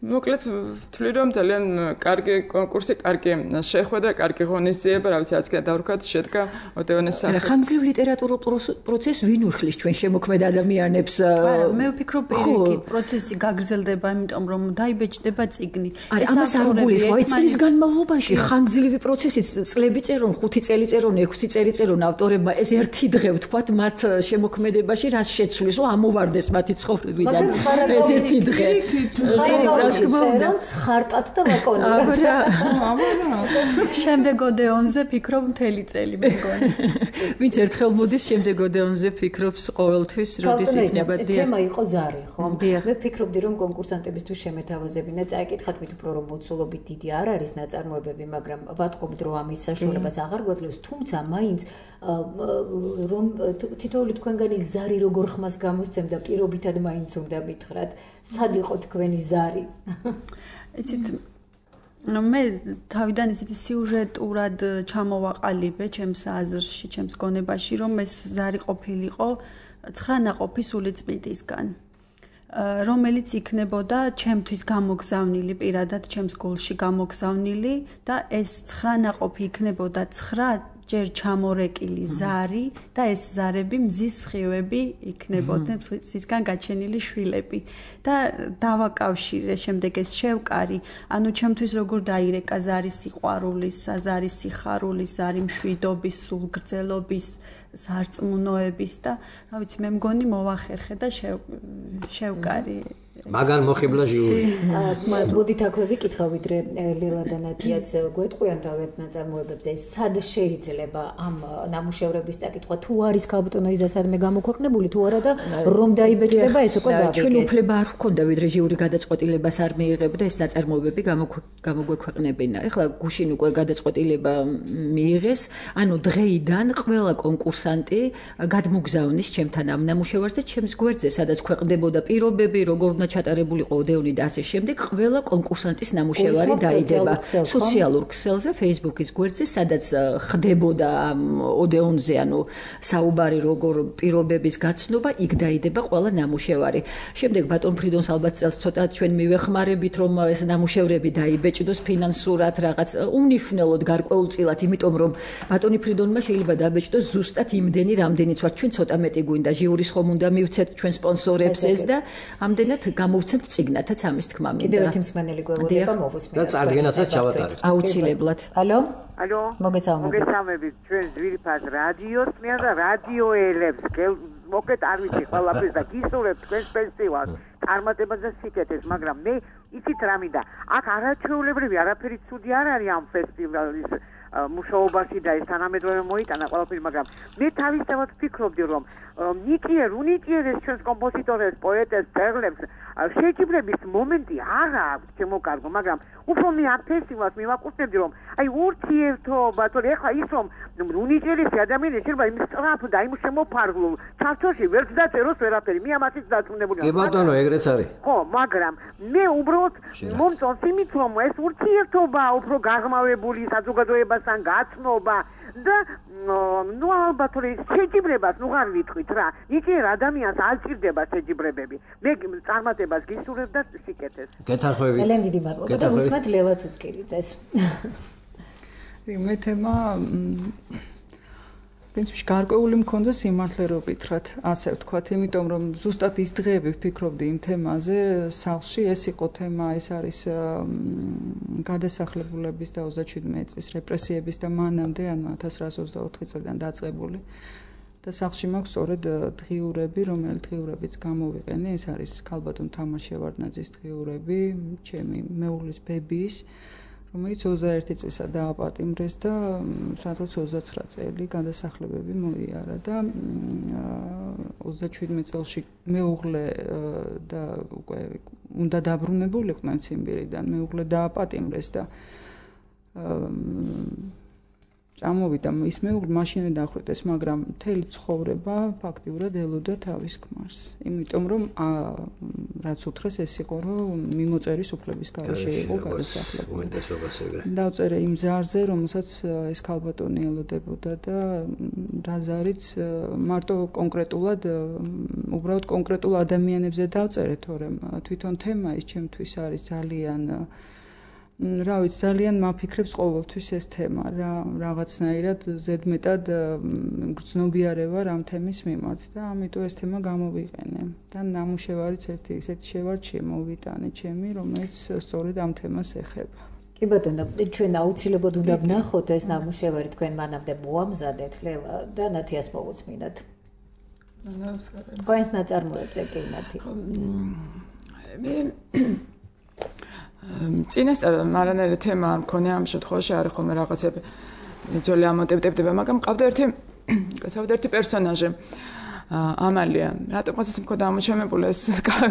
მოკლედ ვთვლი რომ ძალიან კარგი კონკურსი, კარგი შეხვედრა, კარგი ღონისძიება, რა ვიცი, რაც კიდე დავrkhat, შედგა ოდეონეს სახით. ხანგრძლივ ლიტერატურულ პროცესს ვინ უხლის ჩვენ შემოქმედ ადამიანებს? არა, მე ვფიქრობ, პირიქით პროცესი გაგრძელდება, იმიტომ რომ დაიბეჭდება წიგნი. ეს ამას არ გულისხმობ, წლის განმავლობაში ხანგრძლივი პროცესი, წლები წერონ, 5 წელი წერონ, 6 წელი წერონ ავტორებმა, ეს ერთი დღე ვთქვათ მათ შემოქმედებაში რას შეცვლის, რომ ამოვარდეს მათი ცხოვრებიდან. ეს ერთი დღე. წერონ ხარტად და ლაკონიურად. შემდეგ ოდეონზე ფიქრობ მთელი წელი მეგონი. ვინც ერთხელ მოდის შემდეგ ოდეონზე ფიქრობს ყოველთვის, როდის იქნება დიახ. თემა იყო ზარი, ხო? მე ვფიქრობდი რომ კონკურსანტებისთვის შემეთავაზებინა, წაიკითხათ მით უფრო რომ მოცულობით დიდი არ არის ნაწარმოებები, მაგრამ ვატყობ დრო ამის საშუალებას აღარ გვაძლევს, თუმცა მაინც რომ თითოეული თქვენგანი ზარი როგორ ხმას გამოსცემდა, პირობითად მაინც უნდა მითხრათ, სად იყო თქვენი ზარი? იცით, მე თავიდან ისეთი სიუჟეტურად ჩამოვაყალიბე ჩემს აზრში, ჩემს გონებაში, რომ ეს ზარი ყოფილიყო 9 ნაყოფი სულიწმიდისგან, რომელიც იქნებოდა ჩემთვის გამოგზავნილი, პირადად ჩემს გულში გამოგზავნილი და ეს 9 ნაყოფი იქნებოდა 9 ჯერ ჩამორეკილი ზარი და ეს ზარები მზის სხივები იქნებოდნენ, მზისგან გაჩენილი შვილები და დავაკავშირე შემდეგ ეს შევკარი, ანუ ჩემთვის როგორ დაირეკა ზარი სიყვარულის, ზარი სიხარულის, ზარი მშვიდობის, სულგრძელობის, სარწმუნოების და რა ვიცი, მე მგონი მოვახერხე და შევკარი. მაგან მოხიბლა ჟიური. მოდით აქვე ვიკითხავ, ვიდრე ლილა და ნათიაც გვეტყვიან თავად ნაწარმოებებზე, სად შეიძლება ამ ნამუშევრების წაკითხვა, თუ არის ქალბატონო იზა სადმე გამოქვეყნებული, თუ არა და რომ დაიბეჭდება ეს უკვე გავიგეთ. ჩვენ უფლება არ გვქონდა, ვიდრე ჟიური გადაწყვეტილებას არ მიიღებდა ეს ნაწარმოებები გამოგვექვეყნებინა. ეხლა გუშინ უკვე გადაწყვეტილება მიიღეს, ანუ დღეიდან ყველა კონკურსანტი გადმოგზავნის ჩემთან ამ ნამუშევარს და ჩემს გვერდზე, სადაც ქვეყნდებოდა პირობები, როგორ უნდა ჩატარებულიყო ოდეონი და ასე შემდეგ, ყველა კონკურსანტის ნამუშევარი დაიდება სოციალურ ქსელზე, Facebook-ის გვერდზე, სადაც ხდებოდა ოდეონზე, ანუ საუბარი როგორ პირობების გაცნობა, იქ დაიდება ყველა ნამუშევარი. შემდეგ ბატონ ფრიდონს ალბათ წელს ცოტა ჩვენ მივეხმარებით, რომ ეს ნამუშევრები დაიბეჭდოს ფინანსურად რაღაც უმნიშვნელოდ გარკვეულწილად, იმიტომ რომ ბატონი ფრიდონმა შეიძლება დაბეჭდოს ზუსტად იმდენი, რამდენიც ვართ ჩვენ ცოტა მეტი გვინდა ჟიურის ხომ უნდა მივცეთ ჩვენ სპონსორებს ეს და ამდენად გამოვცემთ წიგნათაც ამის თქმა მინდა. კიდევ ერთი მსმენელი გვეუბნება მოვუსმინოთ. და წარდგენაცაც ჩავატარეთ. აუცილებლად. ალო? ალო? მოგესალმებით. ჩვენ ძვირფას რადიოს მე და რადიოელებს მოკეთ არ ვიცი ყველაფერს და გისურვებთ თქვენს ფესტივალს. წარმატებას და სიკეთეს, მაგრამ მე იცით რა მინდა. აქ არაჩვეულებრივი არაფერი ცუდი არ არის ამ ფესტივალის მუშაობაში და ეს თანამედროვე მოიტანა ყველაფერი, მაგრამ მე თავისთავად ვფიქრობდი, რომ უნიკიერეს ჩვენს კომპოზიტორებს, პოეტებს, მწერლებს შეჯიბრების მომენტი არ აქვს ჩემო კარგო, მაგრამ უფრო მე ამ ფესტივალს მივაკუთვნებდი, რომ აი ურთიერთობა, თორე ეხლა ის რომ უნიკიერესი ადამიანები შეიძლება იმ სწრაფ და იმ შემოფარგლულ ჩარჩოში ვერ დაწეროს ვერაფერი, მე ამასაც დაწუნებული ვარ. კი ბატონო, ეგრეც არის. ხო, მაგრამ მე უბრალოდ მომწონს იმით, რომ ეს ურთიერთობა უფრო გაღრმავებული საზოგადოებასთან გაცნობა და ნუ ალბათ რომ შეჯიბრებას ნუ არ ვიტყვით რა. იქ ადამიანს არ ჭირდება შეჯიბრებები. მე წარმატებას გისურვებ და სიკეთეს. გეთანხმებით. ელენ დიდი მადლობა და უსმენთ ლელა ცუცკირიძეს. მე თემა პრინციპში გარკვეული მქონდა სიმართლე რო ვკითხრათ, ასე ვთქვათ, იმიტომ რომ ზუსტად ის დღეები ვფიქრობდი იმ თემაზე, სახლში ეს იყო თემა, ეს არის გადასახლებულების და 37 წლის რეპრესიების და მანამდე, ანუ 1924 წლიდან დაწყებული. და სახლში მაქვს სწორედ დღიურები, რომელიც დღიურებიც გამოვიყენე, ეს არის ქალბატონ თამარ შევარდნაძის დღიურები, ჩემი მეუღლის ბებიის, რომელიც 21 წლისა დააპატიმრეს და სადღაც 29 წელი გადასახლებები მოიარა და 37 წელში მეუღლე და უკვე უნდა დაბრუნებულიყვნენ ციმბირიდან, მეუღლე დააპატიმრეს და წამოვიდა ის მეუღლე მაშინე დახვრიტეს, მაგრამ მთელი ცხოვრება ფაქტიურად ელოდა თავის ქმარს. იმიტომ რომ რაც უთხრეს ეს იყო, რომ მიმოწერის უფლების გარეშე იყო გადასახლებული. დავწერე იმ ზარზე, რომელსაც ეს ქალბატონი ელოდებოდა და რაზარიც მარტო კონკრეტულად უბრალოდ კონკრეტულ ადამიანებზე დავწერე, თორემ თვითონ თემა ის ჩემთვის არის ძალიან რა ვიცი, ძალიან მაფიქრებს ყოველთვის ეს თემა, რაღაცნაირად ზედმეტად გრძნობიარე ვარ ამ თემის მიმართ და ამიტომ ეს თემა გამოვიყენე. და ნამუშევარიც ერთი ისეთი შევარჩიე მოვიტანე ჩემი, რომელიც სწორედ ამ თემას ეხება. კი ბატონო, ჩვენ აუცილებლად უნდა ვნახოთ ეს ნამუშევარი, თქვენ მანამდე მოამზადეთ ლელა და ნათიას მოვუსმინოთ. თქვენს ნაწარმოებზე კი ნათი. წინასწარ მარანელი თემა მქონია ამ შემთხვევაში არის ხოლმე რაღაცები ძველი ამოტებდება, მაგრამ ყავდა ერთი პერსონაჟი ამალია. რატომღაც ის მქონდა ამოჩემებული ეს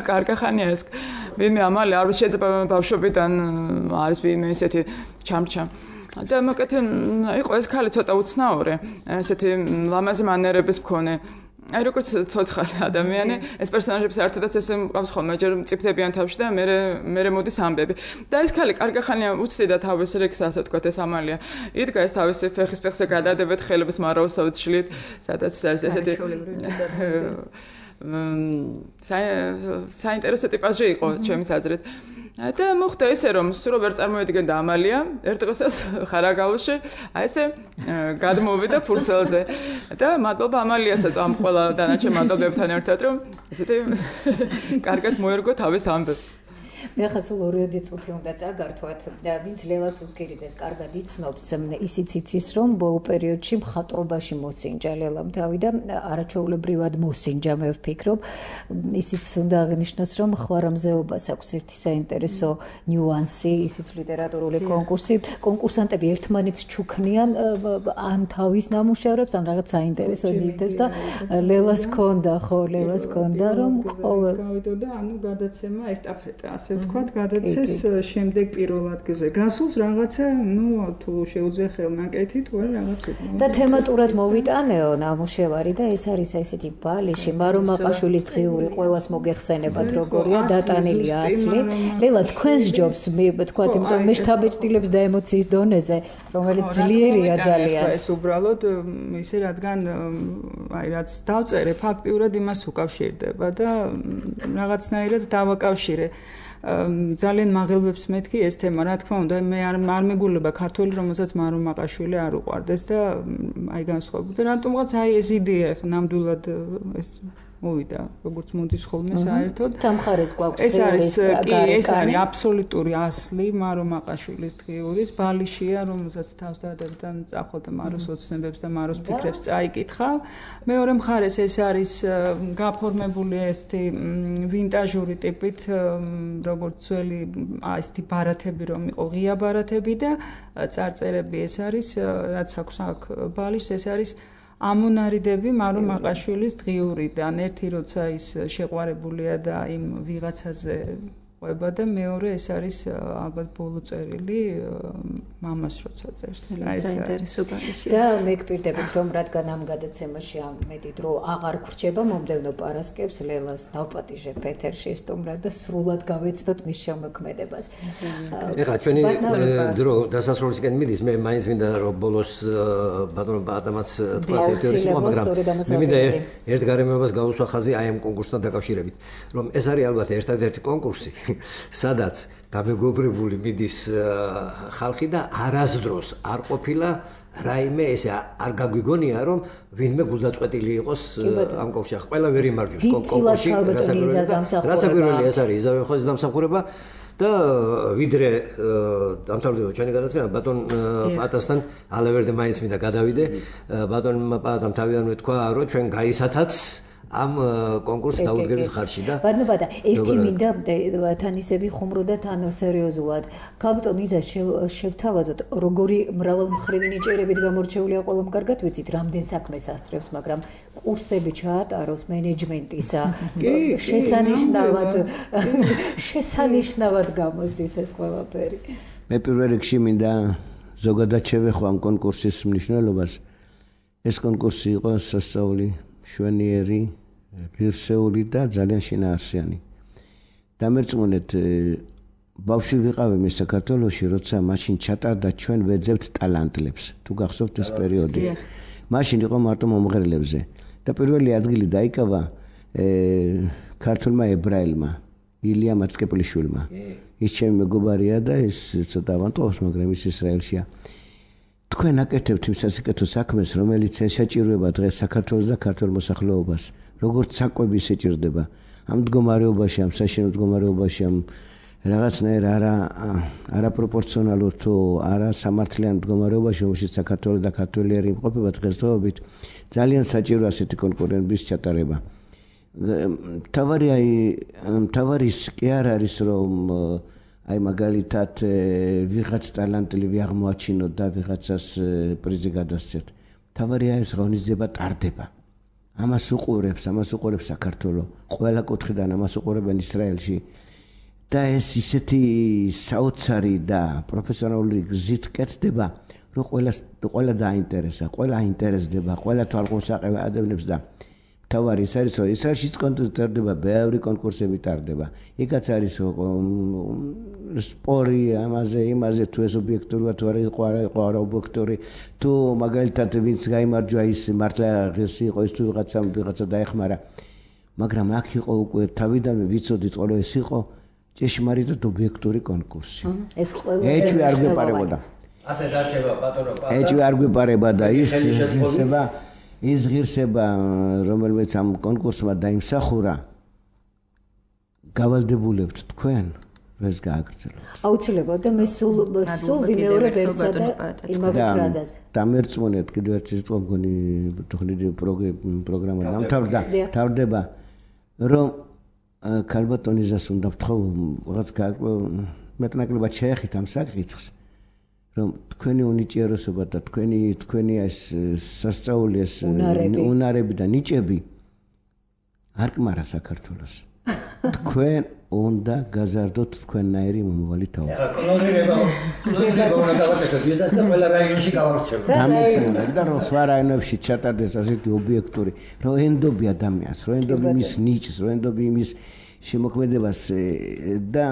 კარგახანია ეს ვინმე ამალია არ შეიძლება ბავშვობიდან არის ვინმე ესეთი ჩამრჩა. და მოკეთ იყო ეს ქალი ცოტა უცნაური, ესეთი ლამაზი მანერების მქონე. აი როგორც ცოცხალი ადამიანი, ეს პერსონაჟები საერთოდაც ესე მყავს ხოლმე, ჯერ მწიფდებიან თავში და მე მოდის ამბები. და ეს ქალი კარგახანია უცდიდა თავის რიგს, ასე ვთქვათ, ეს ამალია. იდგა ეს თავისი ფეხის ფეხზე გადადებეთ, ხელების მარაოსავით შლით, სადაც ესეთი საინტერესო ტიპაჟი იყო ჩემის აზრით. და მოხდა ისე რომ სულ ვერ წარმოედგენდა ამალია ერთ დღესაც ხარაგაულში აი ესე გადმოვიდა ფურცელზე და მადლობა ამალიასაც ამ ყველა დანარჩენ მადლობებთან ერთად რომ ესეთი კარგად მოერგო თავის ამბებს. მე ხა სულ 2 წუთი უნდა წაგართვათ და ვინც ლელა ცუცკირიძეს კარგად იცნობს, ისიც იცის რომ ბოლო პერიოდში მხატვრობაში მოსინჯა ლელამ თავი და არაჩვეულებრივად მოსინჯა, მე ვფიქრობ. ისიც უნდა აღინიშნოს რომ ხვარამზეობას აქვს ერთი საინტერესო ნიუანსი, ისიც ლიტერატურული კონკურსი. კონკურსანტები ერთმანეთს ჩუქნიან ან თავის ნამუშევრებს, ან რაღაც საინტერესო ნივთებს და ლელას ჰქონდა, ხო, ლელას ჰქონდა რომ ყოველ გავიდოდა, ანუ გადაცემა ესტაფეტა, ასე ვთქვათ, გადაცეს შემდეგ პირველ ადგილზე. გასულს რაღაცა, თუ შეუძლია ხელნაკეთი, თუ არა რაღაც იყო. და თემატურად მოვიტანეო ნამუშევარი და ეს არის ესეთი ბალიში, მარო მაყაშვილის დღიური ყველას მოგეხსენებათ როგორია დატანილი ასლი. ლელა თქვენს ჯობს მე ვთქვათ, იმიტომ მე შთაბეჭდილებს და ემოციის დონეზე, რომელიც ძლიერია ძალიან. ეს უბრალოდ ისე რადგან აი რაც დავწერე, ფაქტიურად იმას უკავშირდება და რაღაცნაირად დავაკავშირე. ძალიან მაღელვებს მეთქი ეს თემა, რა თქმა უნდა, მე არ მეგულება ქართველი, რომელსაც მარო მაყაშვილი არ უყვარდეს და აი განსხვავებული. და რატომღაც აი ეს იდეა ნამდვილად ეს მოვიდა, როგორც მოდის ხოლმე საერთოდ. სამხარეს გვაქვს ეს არის ეს არის აბსოლუტური ასლი მარო მაყაშვილის დღიურის ბალიშია, რომელსაც თავსდადებიდან წახვალდა მაროს ოცნებებს და მაროს ფიქრებს წაიკითხავ. მეორე მხარეს ეს არის გაფორმებული ესეთი ვინტაჟური ტიპით, როგორც ძველი ესეთი ბარათები რომ იყო ღია ბარათები და წარწერები ეს არის, რაც აქვს აქ ბალიშს, ეს არის ამონარიდები მარო მაყაშვილის დღიურიდან. ერთი როცა ის შეყვარებულია და იმ ვიღაცაზე ყვება და მეორე ეს არის ალბათ ბოლო წერილი მამას როცა წერს. საინტერესო ბალიშია. და მე გპირდებით რომ რადგან ამ გადაცემაში მეტი დრო აღარ გრჩება მომდევნო პარასკევს ლელას დავპატიჟებ ეთერში სტუმრად და სრულად გავეცდოთ მის შემოქმედებას. ეხლა ჩვენი დრო დასასრულისკენ მიდის, მე მაინც მინდა რომ ბოლოს ბატონო ადამიანს თქვას ეთერში, მაგრამ მე მინდა ერთ გარემოებას გავუსვა ხაზი აი ამ კონკურსთან დაკავშირებით, რომ ეს არის ალბათ ერთადერთი კონკურსი სადაც გამეგობრებული მიდის ხალხი და არასდროს არ ყოფილა რაიმე ესე არ გაგვიგონია რომ ვინმე გულდაწყვეტილი იყოს ამ კონკურსში. ყველა ვერ იმარჯვებს კონკურსში. რასაკვირველია ეს არის იზავე ხოს დამსახურება და ვიდრე დამთავრდება ჩვენი გადაცემა ბატონ პატასთან ალევერდე მაინც მინდა გადავიდე. ბატონმა პატამ თავიდან მეთქვა რომ ჩვენ გაისათაც ამ კონკურსს დაუდგებით ხარში და ბატონო ერთი მინდა თანისები ხუმრო და თან სერიოზულად კაპიტონ იზა შევთავაზოთ როგორი მრავალმხრივი ნიჭიერებით გამორჩეულია ყველამ კარგად ვიცით რამდენ საქმეს ასწრებს მაგრამ კურსები ჩაატაროს მენეჯმენტისა შესანიშნავად გამოსდის ეს ყველაფერი. მე პირველ რიგში მინდა ზოგადად შევეხო ამ კონკურსის მნიშვნელობას. ეს კონკურსი იყო სასწაული შვენიერი, ღირსეული და ძალიან შინაარსიანი. დამერწმუნეთ, ბავშვი ვიყავი მე საქართველოში, როცა მაშინ ჩატარდა ჩვენ ვეძებთ ტალანტლებს. თუ გახსოვთ ეს პერიოდი. მაშინ იყო მარტო მომღერლებზე და პირველი ადგილი დაიკავა ქართულმა ებრაელმა, ილია მაცკეპლიშვილმა. ის ჩემი მეგობარია და ის ცოტა ავანტყობს, მაგრამ ის ისრაელშია. თქვენ აკეთებთ იმ სასიკეთო საქმეს, რომელიც ესაჭიროება დღეს საქართველოს და ქართულ მოსახლეობას. როგორც საკვები შეჭirdება ამ მდგომარეობაში, ამ საშინო მდგომარეობაში, ამ რაღაცნაირ არაპროპორციონალურ თუ არასამართლიან მდგომარეობაში, რომელშიც საქართველოს და ქართველიერი იმყოფება დღესდღეობით, ძალიან საჭირო ასეთი კონკურენტების ჩატარება. თავარი კი არ არის რომ აი მაგალითად ვიღაც ტალანტლივი აღმოაჩინოთ და ვიღაცას პრიზი გადასცეთ. თავარია ეს ღონისძიება ტარდება. ამას უყურებს საქართველოს. ყველა კუთხიდან ამას უყურებენ ისრაელში. და ეს ისეთი საოცარი და პროფესიონალური გზით კეთდება, რომ ყველა დაინტერესა, ყველა აინტერესდება, ყველა თვალყურს აყევა ადამიანებს და თავარი ის არის, რომ ისრაელშიც ტარდება, ბევრი კონკურსები ტარდება. იქაც არის სპორი ამაზე თუ ეს ობიექტურია თუ არა იყო არა ობიექტური თუ მაგალითად ვინც გაიმარჯვა ის მართლა ღირსი იყო ის თუ ვიღაცა დაეხმარა. მაგრამ აქ იყო უკვე თავიდანვე ვიცოდით ყოლო ეს იყო ჭეშმარიტად ობიექტური კონკურსი. ეს ყველა ეჭვი არ გვეპარებოდა. ასე დარჩება ბატონო. ეჭვი არ გვეპარება და ის ღირსება რომელმეც ამ კონკურსმა დაიმსახურა გავალდებულებთ თქვენ ეს გააგრძელოთ. აუცილებლად და მე სულ ვიმეორებ ერთსა და იმავე ფრაზას. დამერწმუნეთ კიდევ ერთი სიტყვა მგონი თქლიდი პროგრამა დამთავრდება რომ ქალბატონიზას უნდა ვთხოვ რაღაც მეტნაკლებად შეეხით ამ საკითხს რომ თქვენი უნიჭიეროსობა და თქვენი ეს სასწაული ეს უნარები და ნიჭები არ კმარა საქართველოს. თქვენ უნდა გაზარდოთ თქვენნაირი მომავალი თავი. კლონირება უნდა გავაკეთოთ ვიზას და ყველა რაიონში გავავრცელოთ. და რომ სხვა რაიონებში ჩატარდეს ასეთი ობიექტური, რომ ენდობი ადამიანს, რომ ენდობი მის ნიჭს, რომ ენდობი მის შემოქმედებას და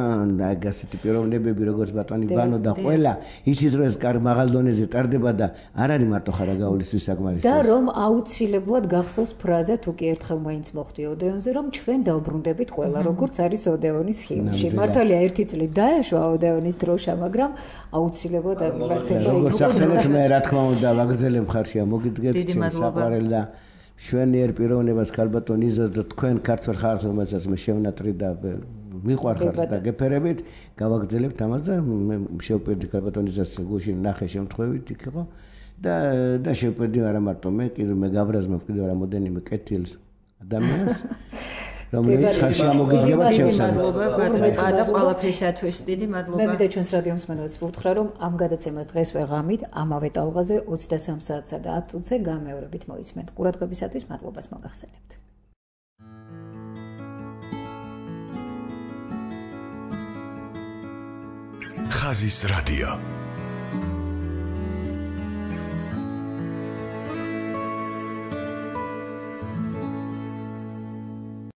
ასეთი პიროვნებები როგორც ბატონი ბანო და ყველა იცით რომ ეს მაღალ დონეზე ტარდება და არ არის მარტო ხარაგაულისთვის საკმარისი. და რომ აუცილებლად გახსოვს ფრაზა თუ კი ერთხელ მაინც მოხდი ოდეონზე რომ ჩვენ დავბრუნდებით ყველა როგორც არის ოდეონის ჰიმნში. მართალია ერთი წლით დაეშვა ოდეონის დროშა, მაგრამ აუცილებლად მართალია როგორც ახსენეთ მე რა თქმა უნდა ვაგრძელებ ხარშია მოგიდგეთ საყვარელ და შვენიერ პიროვნებას ქალბატონ იზას და თქვენ ქართველ ხალხს რომელსაც მე შევნატრი და მიყვარხარ და გეფერებით გავაგრძელებთ ამას და მე შევპირდი ქალბატონ იზას გუშინ ნახე შემთხვევით იქ იყო და შევპირდი არა მარტო მე კიდე მე გავრაზმებ კიდე რამოდენიმე კეთილს ადამიანს რომელიც ხალხი ამოგიდგება მადლობა და ყველაფრისათვის დიდი მადლობა. მე მინდა ჩვენს რადიო მსმენელს ვუთხრა რომ ამ გადაცემას დღეს ვეღამით ამავე ტალღაზე 23 საათსა და 10 წუთზე გამეორებით მოისმენთ. ყურადღებისათვის მადლობას მოგახსენებთ. ხაზის რადიო